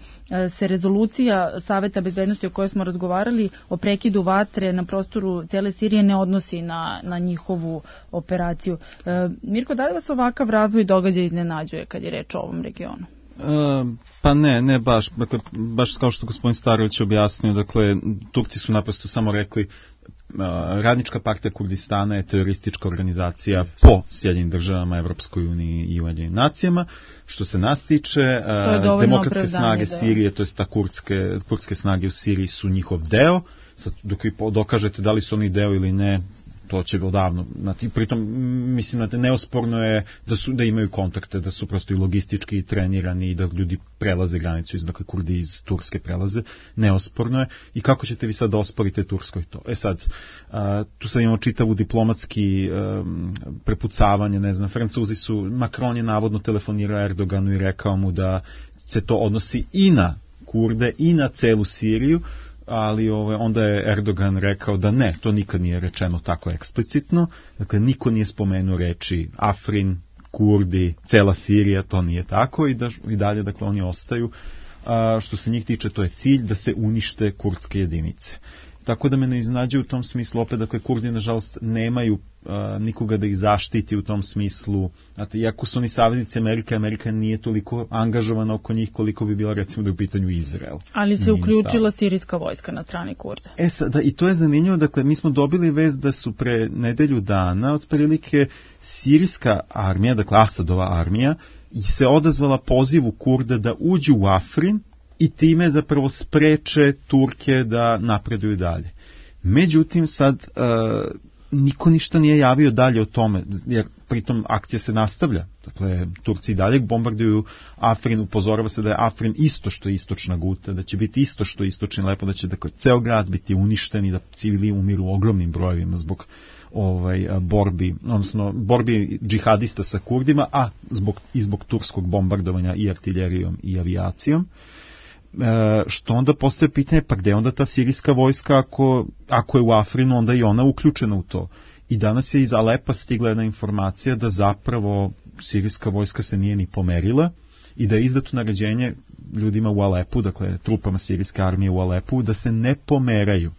se rezolucija Saveta bezbednosti o kojoj smo razgovarali o prekidu vatre na prostoru cele Sirije ne odnosi na, na njihovu operaciju. E, Mirko, da li vas ovakav razvoj događaja iznenađuje kad je reč o ovom regionu? Uh, pa ne, ne baš, dakle, baš kao što gospodin Starović objasnio, dakle, Turci su naprosto samo rekli uh, Radnička partija Kurdistana je teroristička organizacija po Sjedinjenim državama, Evropskoj uniji i Ujedinjenim nacijama. Što se nas tiče, uh, demokratske snage da. Sirije, to jest ta kurdske, kurdske snage u Siriji su njihov deo. Sad, dok vi dokažete da li su oni deo ili ne, to će odavno. Znači, pritom, mislim da neosporno je da, su, da imaju kontakte, da su prosto i logistički trenirani i da ljudi prelaze granicu, iz, dakle Kurdi iz Turske prelaze, neosporno je. I kako ćete vi sad da osporite Turskoj to? E sad, a, tu sad imamo čitavu diplomatski a, prepucavanje, ne znam, Francuzi su, Macron je navodno telefonirao Erdoganu i rekao mu da se to odnosi i na Kurde i na celu Siriju, ali ove, onda je Erdogan rekao da ne, to nikad nije rečeno tako eksplicitno, dakle niko nije spomenuo reči Afrin, Kurdi, cela Sirija, to nije tako i, da, i dalje, dakle oni ostaju. A, što se njih tiče, to je cilj da se unište kurdske jedinice. Tako da me ne iznenađuje u tom smislu, opet, dakle, Kurdi, nažalost, nemaju a, nikoga da ih zaštiti u tom smislu. Znate, iako su oni saveznici Amerike, Amerika nije toliko angažovana oko njih koliko bi bila, recimo, da je u pitanju Izrael. Ali se uključila sirijska vojska na strani Kurda. E sad, da, i to je zanimljivo, dakle, mi smo dobili vest da su pre nedelju dana, otprilike, sirijska armija, dakle, Asadova armija, i se odazvala pozivu Kurda da uđu u Afrin, i time zapravo spreče Turke da napreduju dalje. Međutim, sad uh, niko ništa nije javio dalje o tome, jer pritom akcija se nastavlja. Dakle, Turci i dalje bombarduju Afrin, upozorava se da je Afrin isto što je istočna Guta, da će biti isto što je istočni Alepo, da će dakle, ceo grad biti uništen i da civili umiru u ogromnim brojevima zbog ovaj, borbi, odnosno borbi džihadista sa Kurdima, a zbog, i zbog turskog bombardovanja i artiljerijom i avijacijom. E, što onda postaje pitanje, pa gde onda ta sirijska vojska ako, ako je u Afrinu, onda i ona uključena u to. I danas je iz Alepa stigla jedna informacija da zapravo sirijska vojska se nije ni pomerila i da je izdato naređenje ljudima u Alepu, dakle trupama sirijske armije u Alepu, da se ne pomeraju.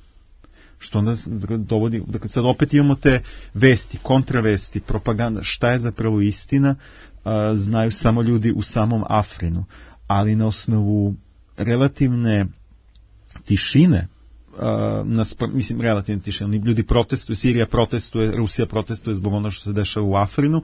Što onda dovodi, dakle sad opet imamo te vesti, kontravesti, propaganda, šta je zapravo istina, a, znaju samo ljudi u samom Afrinu, ali na osnovu relativne tišine, uh, nas, mislim relativne tišine, ljudi protestuju, Sirija protestuje, Rusija protestuje zbog ono što se dešava u Afrinu,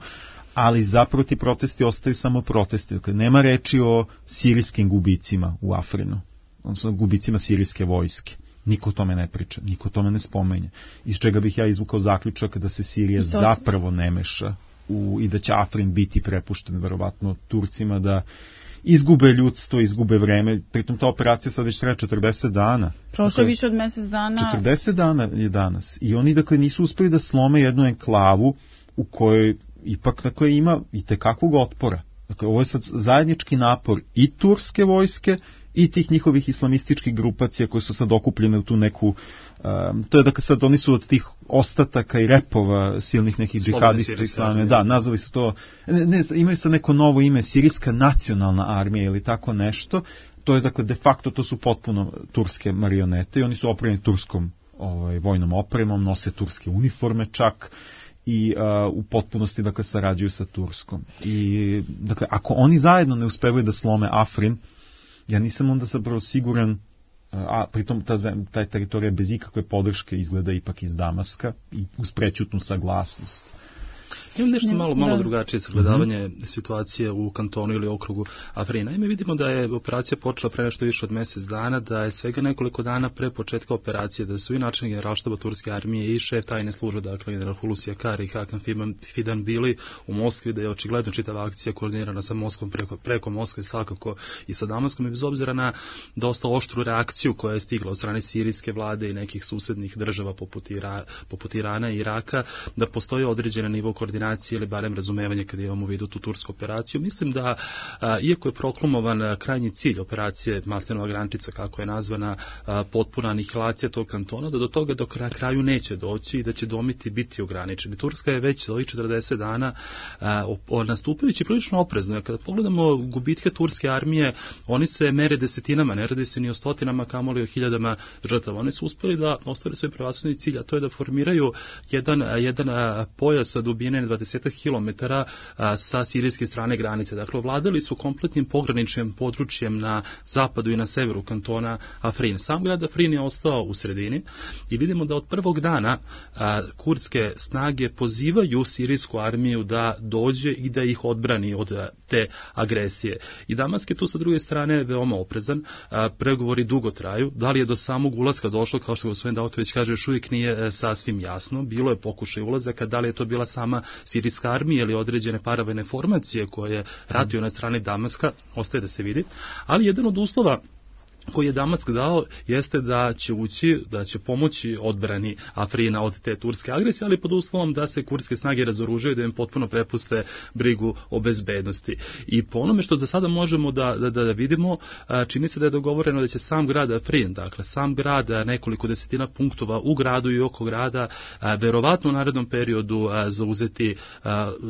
ali zapravo ti protesti ostaju samo protesti. Dakle, nema reči o sirijskim gubicima u Afrinu, odnosno gubicima sirijske vojske. Niko o tome ne priča, niko o tome ne spomenje. Iz čega bih ja izvukao zaključak da se Sirija zapravo ne meša u, i da će Afrin biti prepušten verovatno Turcima, da izgube ljudstvo, izgube vreme. Pritom ta operacija sad već traje četrdeset dana. Prošlo dakle, više od mjesec dana. četrdeset dana je danas. I oni dakle nisu uspeli da slome jednu enklavu u kojoj ipak dakle ima i tekakvog otpora. Dakle, ovo je sad zajednički napor i turske vojske i tih njihovih islamističkih grupacija koje su sad okupljene u tu neku, um, to je dakle sad oni su od tih ostataka i repova silnih nekih džihadista islame, da, nazvali su to, ne, ne, imaju sad neko novo ime, Sirijska nacionalna armija ili tako nešto, to je dakle de facto to su potpuno turske marionete i oni su opremljeni turskom ovaj, vojnom opremom, nose turske uniforme čak, i uh, u potpunosti dakle sarađuju sa Turskom. I dakle ako oni zajedno ne uspevaju da slome Afrin, ja nisam onda zapravo siguran, a pritom ta, taj teritorija bez ikakve podrške izgleda ipak iz Damaska i uz prećutnu saglasnost. Imam nešto malo, malo drugačije sagledavanje mm-hmm. situacije u kantonu ili okrugu Afrina. I mi vidimo da je operacija počela pre nešto više od mjesec dana, da je svega nekoliko dana pre početka operacije, da su i načelnik generalštaba turske armije i šef tajne službe, dakle general Hulusi Akar i Hakan Fidan bili u Moskvi, da je očigledno čitava akcija koordinirana sa Moskvom preko, preko Moskve svakako i sa Damaskom, i bez obzira na dosta oštru reakciju koja je stigla od strane sirijske vlade i nekih susednih država poput, Ira, poput Irana i Iraka, da postoji određen nivo koordinacije ili barem razumevanje kada imamo u vidu tu tursku operaciju. Mislim da, a, iako je proklamovan a, krajnji cilj operacije Maslinova grančica, kako je nazvana, a, potpuna anihilacija tog kantona, da do toga do kraja kraju neće doći i da će domiti biti ograničeni. Turska je već za ovih četrdeset dana a, o, o, nastupajući prilično oprezno. Kada pogledamo gubitke turske armije, oni se mere desetinama, ne radi se ni o stotinama, kamoli o hiljadama žrtava. Oni su uspeli da ostvare svoj prevashodni cilj, a to je da formiraju jedan, jedan a, pojas dubine dvadeset kilometara sa sirijske strane granice. Dakle, ovladali su kompletnim pograničnim područjem na zapadu i na severu kantona Afrin. Sam grad Afrin je ostao u sredini i vidimo da od prvog dana a, kurdske snage pozivaju sirijsku armiju da dođe i da ih odbrani od a, te agresije. I Damask je tu sa druge strane veoma oprezan. A, pregovori dugo traju. Da li je do samog ulaska došlo, kao što gospodin Dautović kaže, još uvijek nije a, sasvim jasno. Bilo je pokušaj ulazaka, da li je to bila sama sirijska armija ili određene paravojne formacije koje ratuju na strani Damaska, ostaje da se vidi. Ali jedan od uslova koji je Damask dao jeste da će ući, da će pomoći odbrani Afrina od te turske agresije, ali pod uslovom da se kurdske snage razoružaju, da im potpuno prepuste brigu o bezbednosti. I po onome što za sada možemo da, da, da vidimo, čini se da je dogovoreno da će sam grad Afrin, dakle sam grad, nekoliko desetina punktova u gradu i oko grada, verovatno u narednom periodu zauzeti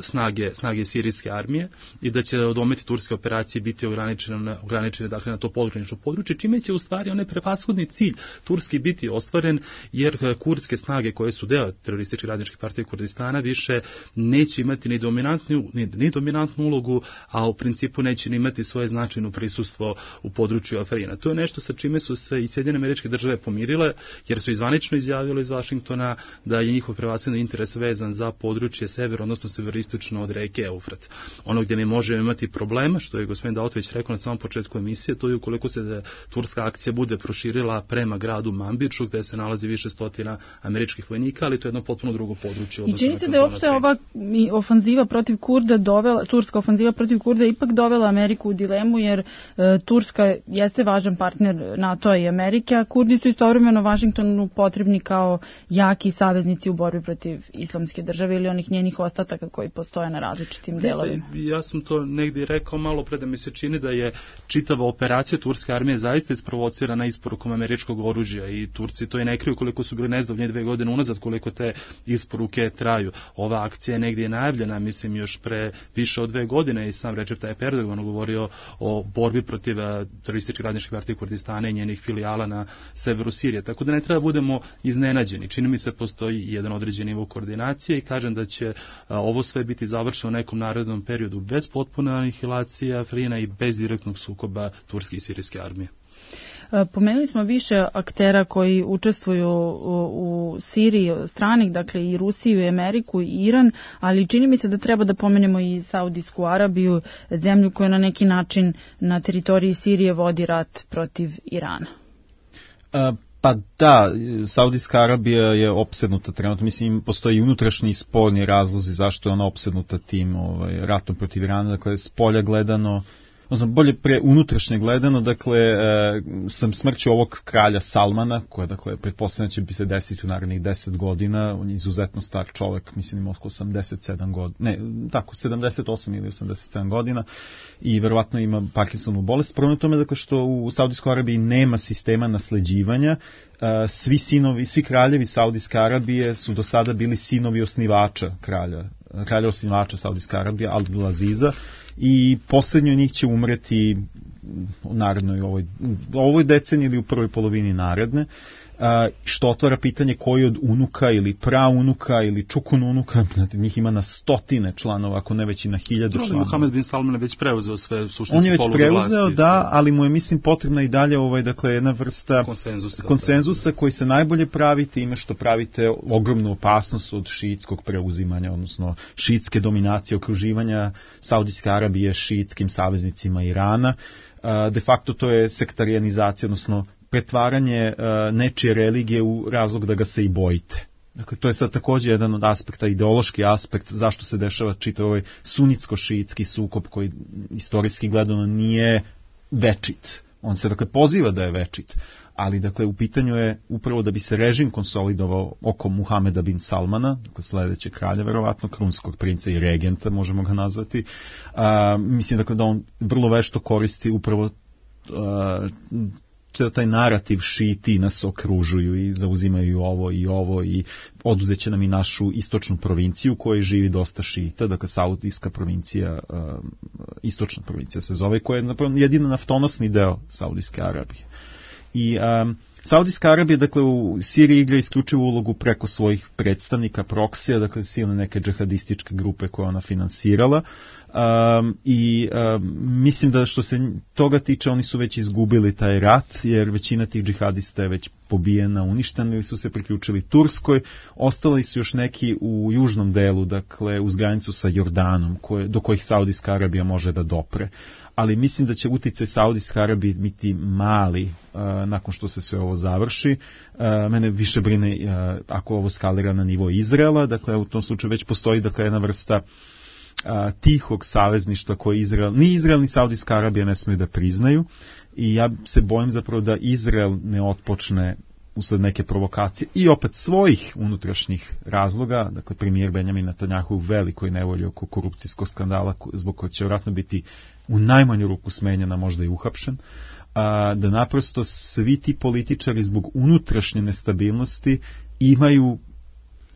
snage, snage sirijske armije i da će odometi turske operacije biti ograničene, ograničene dakle, na to pogranično područje, čime će u stvari onaj prevashodni cilj turski biti ostvaren, jer kurdske snage koje su deo terorističke radničke partije Kurdistana više neće imati ni dominantnu, ni, ni dominantnu ulogu, a u principu neće ni imati svoje značajno prisustvo u području Afrina. To je nešto sa čime su se i Sjedinjene Američke Države pomirile, jer su izvanično izjavili iz Vašingtona da je njihov prevashodni interes vezan za područje sever, odnosno severistočno od reke Eufrat. Ono gdje mi možemo imati problema, što je gospodin Dautović rekao na samom početku emisije, to je ukoliko se turska akcija bude proširila prema gradu Manbidžu gde se nalazi više stotina američkih vojnika, ali to je jedno potpuno drugo područje. I čini se da je uopšte ova ofanziva protiv Kurda dovela, turska ofanziva protiv Kurda ipak dovela Ameriku u dilemu, jer e, Turska jeste važan partner NATO-a i Amerike, a Kurdi su istovremeno Vašingtonu potrebni kao jaki saveznici u borbi protiv islamske države ili onih njenih ostataka koji postoje na različitim delovima. Ja sam to negdje rekao malo pre da mi se čini da je čitava operacija turske armije zaista isprovocirana isporukom američkog oružja i Turci to i ne kriju koliko su bili nezdovnje dve godine unazad, koliko te isporuke traju. Ova akcija je negdje najavljena, mislim, još pre više od dve godine i sam Recep Tayyip Erdogan govorio o borbi protiv terorističkih radničkih partija Kurdistana i njenih filijala na severu Sirije. Tako da ne treba budemo iznenađeni. Čini mi se postoji jedan određen nivo koordinacije i kažem da će a, ovo sve biti završeno u nekom narednom periodu bez potpune anihilacije Afrina i bez direktnog sukoba turske i sirijske armije. Pomenuli smo više aktera koji učestvuju u, u Siriji stranih, dakle i Rusiju, i Ameriku, i Iran, ali čini mi se da treba da pomenemo i Saudijsku Arabiju, zemlju koja na neki način na teritoriji Sirije vodi rat protiv Irana. A, pa da, Saudijska Arabija je opsednuta trenutno, mislim postoji i unutrašnji i spoljni razlozi zašto je ona opsednuta tim ovaj, ratom protiv Irana, dakle s polja gledano, odnosno bolje pre unutrašnje gledano, dakle, e, sam smrću ovog kralja Salmana, koja, dakle, pretpostavljena će bi se desiti u narednih deset godina, on je izuzetno star čovjek, mislim oko osamdeset sedam godina, ne, tako, sedamdeset osam ili osamdeset sedam godina i verovatno ima Parkinsonovu bolest. Prvo na tome, dakle, što u Saudijskoj Arabiji nema sistema nasleđivanja, e, svi sinovi, svi kraljevi Saudijske Arabije su do sada bili sinovi osnivača kralja, kralja osnivača Saudijske Arabije, Abdulaziza, i posljednji od njih će umreti u narednoj ovoj, u ovoj deceniji ili u prvoj polovini naredne, što otvara pitanje koji od unuka ili praunuka ili čukun unuka, njih ima na stotine članova, ako ne već i na hiljadu članova. Mohamed bin Salman je već preuzeo sve suštinske On je već preuzeo, vlasti, da, ali mu je, mislim, potrebna i dalje ovaj, dakle, jedna vrsta konsenzusa, konsenzusa koji se najbolje pravi time što pravite ogromnu opasnost od šiitskog preuzimanja, odnosno šiitske dominacije, okruživanja Saudijske Arabije šiitskim saveznicima Irana. De facto to je sektarijanizacija, odnosno pretvaranje uh, nečije religije u razlog da ga se i bojite. Dakle, to je sad također jedan od aspekta, ideološki aspekt, zašto se dešava čitav ovaj sunitsko-šiitski sukob koji istorijski gledano nije večit. On se, dakle, poziva da je večit, ali, dakle, u pitanju je upravo da bi se režim konsolidovao oko Muhameda bin Salmana, dakle, sledećeg kralja, verovatno, krunskog princa i regenta, možemo ga nazvati. A, mislim, dakle, da on vrlo vešto koristi upravo a, taj narativ šiti nas okružuju i zauzimaju ovo i ovo i oduzeće nam i našu istočnu provinciju u kojoj živi dosta šita, dakle Saudijska provincija, uh, istočna provincija se zove, koja je napravo jedino naftonosni deo Saudijske Arabije. I um, Saudijska Arabija, dakle, u Siriji igra isključivu ulogu preko svojih predstavnika, proksija, dakle, silne neke džihadističke grupe koje ona finansirala. Um, I um, mislim da što se toga tiče, oni su već izgubili taj rat, jer većina tih džihadista je već pobijena, uništena ili su se priključili Turskoj. Ostali su još neki u južnom delu, dakle, uz granicu sa Jordanom, koje, do kojih Saudijska Arabija može da dopre. Ali mislim da će uticaj Saudijske Arabije biti mali uh, nakon što se sve ovo završi. Uh, mene više brine uh, ako ovo skalira na nivo Izraela, dakle u tom slučaju već postoji, dakle, jedna vrsta uh, tihog savezništva koje Izrael, ni Izrael ni Saudijska Arabija ne smiju da priznaju i ja se bojim zapravo da Izrael ne otpočne usled neke provokacije i opet svojih unutrašnjih razloga, dakle premijer Benjamin Netanjahu u velikoj nevolji oko korupcijskog skandala zbog kojeg će vjerojatno biti u najmanju ruku smenjena, možda i uhapšen, a, da naprosto svi ti političari zbog unutrašnje nestabilnosti imaju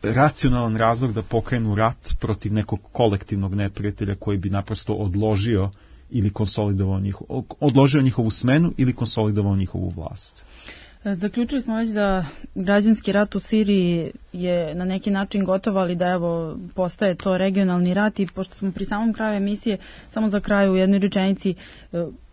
racionalan razlog da pokrenu rat protiv nekog kolektivnog neprijatelja koji bi naprosto odložio ili konsolidovao njihov, odložio njihovu smenu ili konsolidovao njihovu vlast. Zaključili smo već da građanski rat u Siriji je na neki način gotov, ali da evo postaje to regionalni rat i pošto smo pri samom kraju emisije, samo za kraju u jednoj rečenici,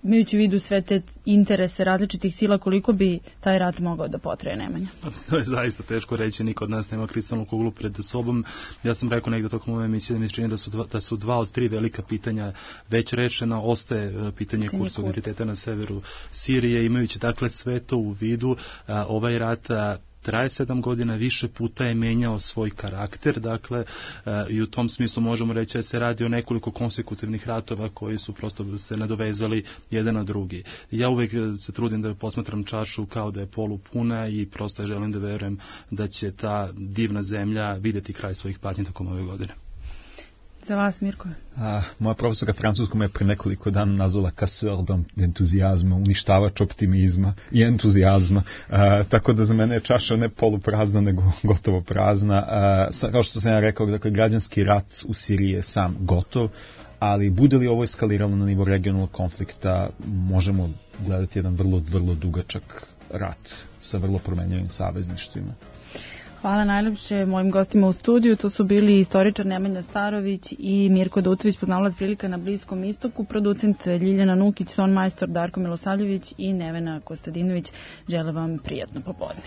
imajući u vidu sve te interese različitih sila, koliko bi taj rat mogao da potraje, Nemanja? To je zaista teško reći, niko od nas nema kristalnu kuglu pred sobom. Ja sam rekao negdje tokom ove emisije da mi se čini da su, dva, da su dva od tri velika pitanja već rešena. Ostaje pitanje kursa identiteta na severu Sirije, imajući dakle sve to u vidu. A, ovaj rat a, traje sedam godina, više puta je menjao svoj karakter, dakle, e, i u tom smislu možemo reći da se radi o nekoliko konsekutivnih ratova koji su prosto se nadovezali jedan na drugi. Ja uvek se trudim da posmatram čašu kao da je polupuna i prosto želim da verujem da će ta divna zemlja videti kraj svojih patnji tokom ove godine. Za vas, Mirko? A, moja profesorka francuska me pre nekoliko dana nazvala casseur d'entuzijazma, uništavač optimizma i entuzijazma. A, tako da za mene je čaša ne poluprazna, nego gotovo prazna. A, sa, kao što sam ja rekao, dakle, građanski rat u Siriji je sam gotov, ali bude li ovo eskaliralo na nivo regionalnog konflikta, možemo gledati jedan vrlo, vrlo dugačak rat sa vrlo promenjivim savezništvima. Hvala najljepše mojim gostima u studiju. To su bili istoričar Nemanja Starović i Mirko Dutović, poznavalac prilika na Bliskom istoku, producent Ljiljana Nukić, ton majstor Darko Milosavljević i Nevena Kostadinović. Želim vam prijatno popodne.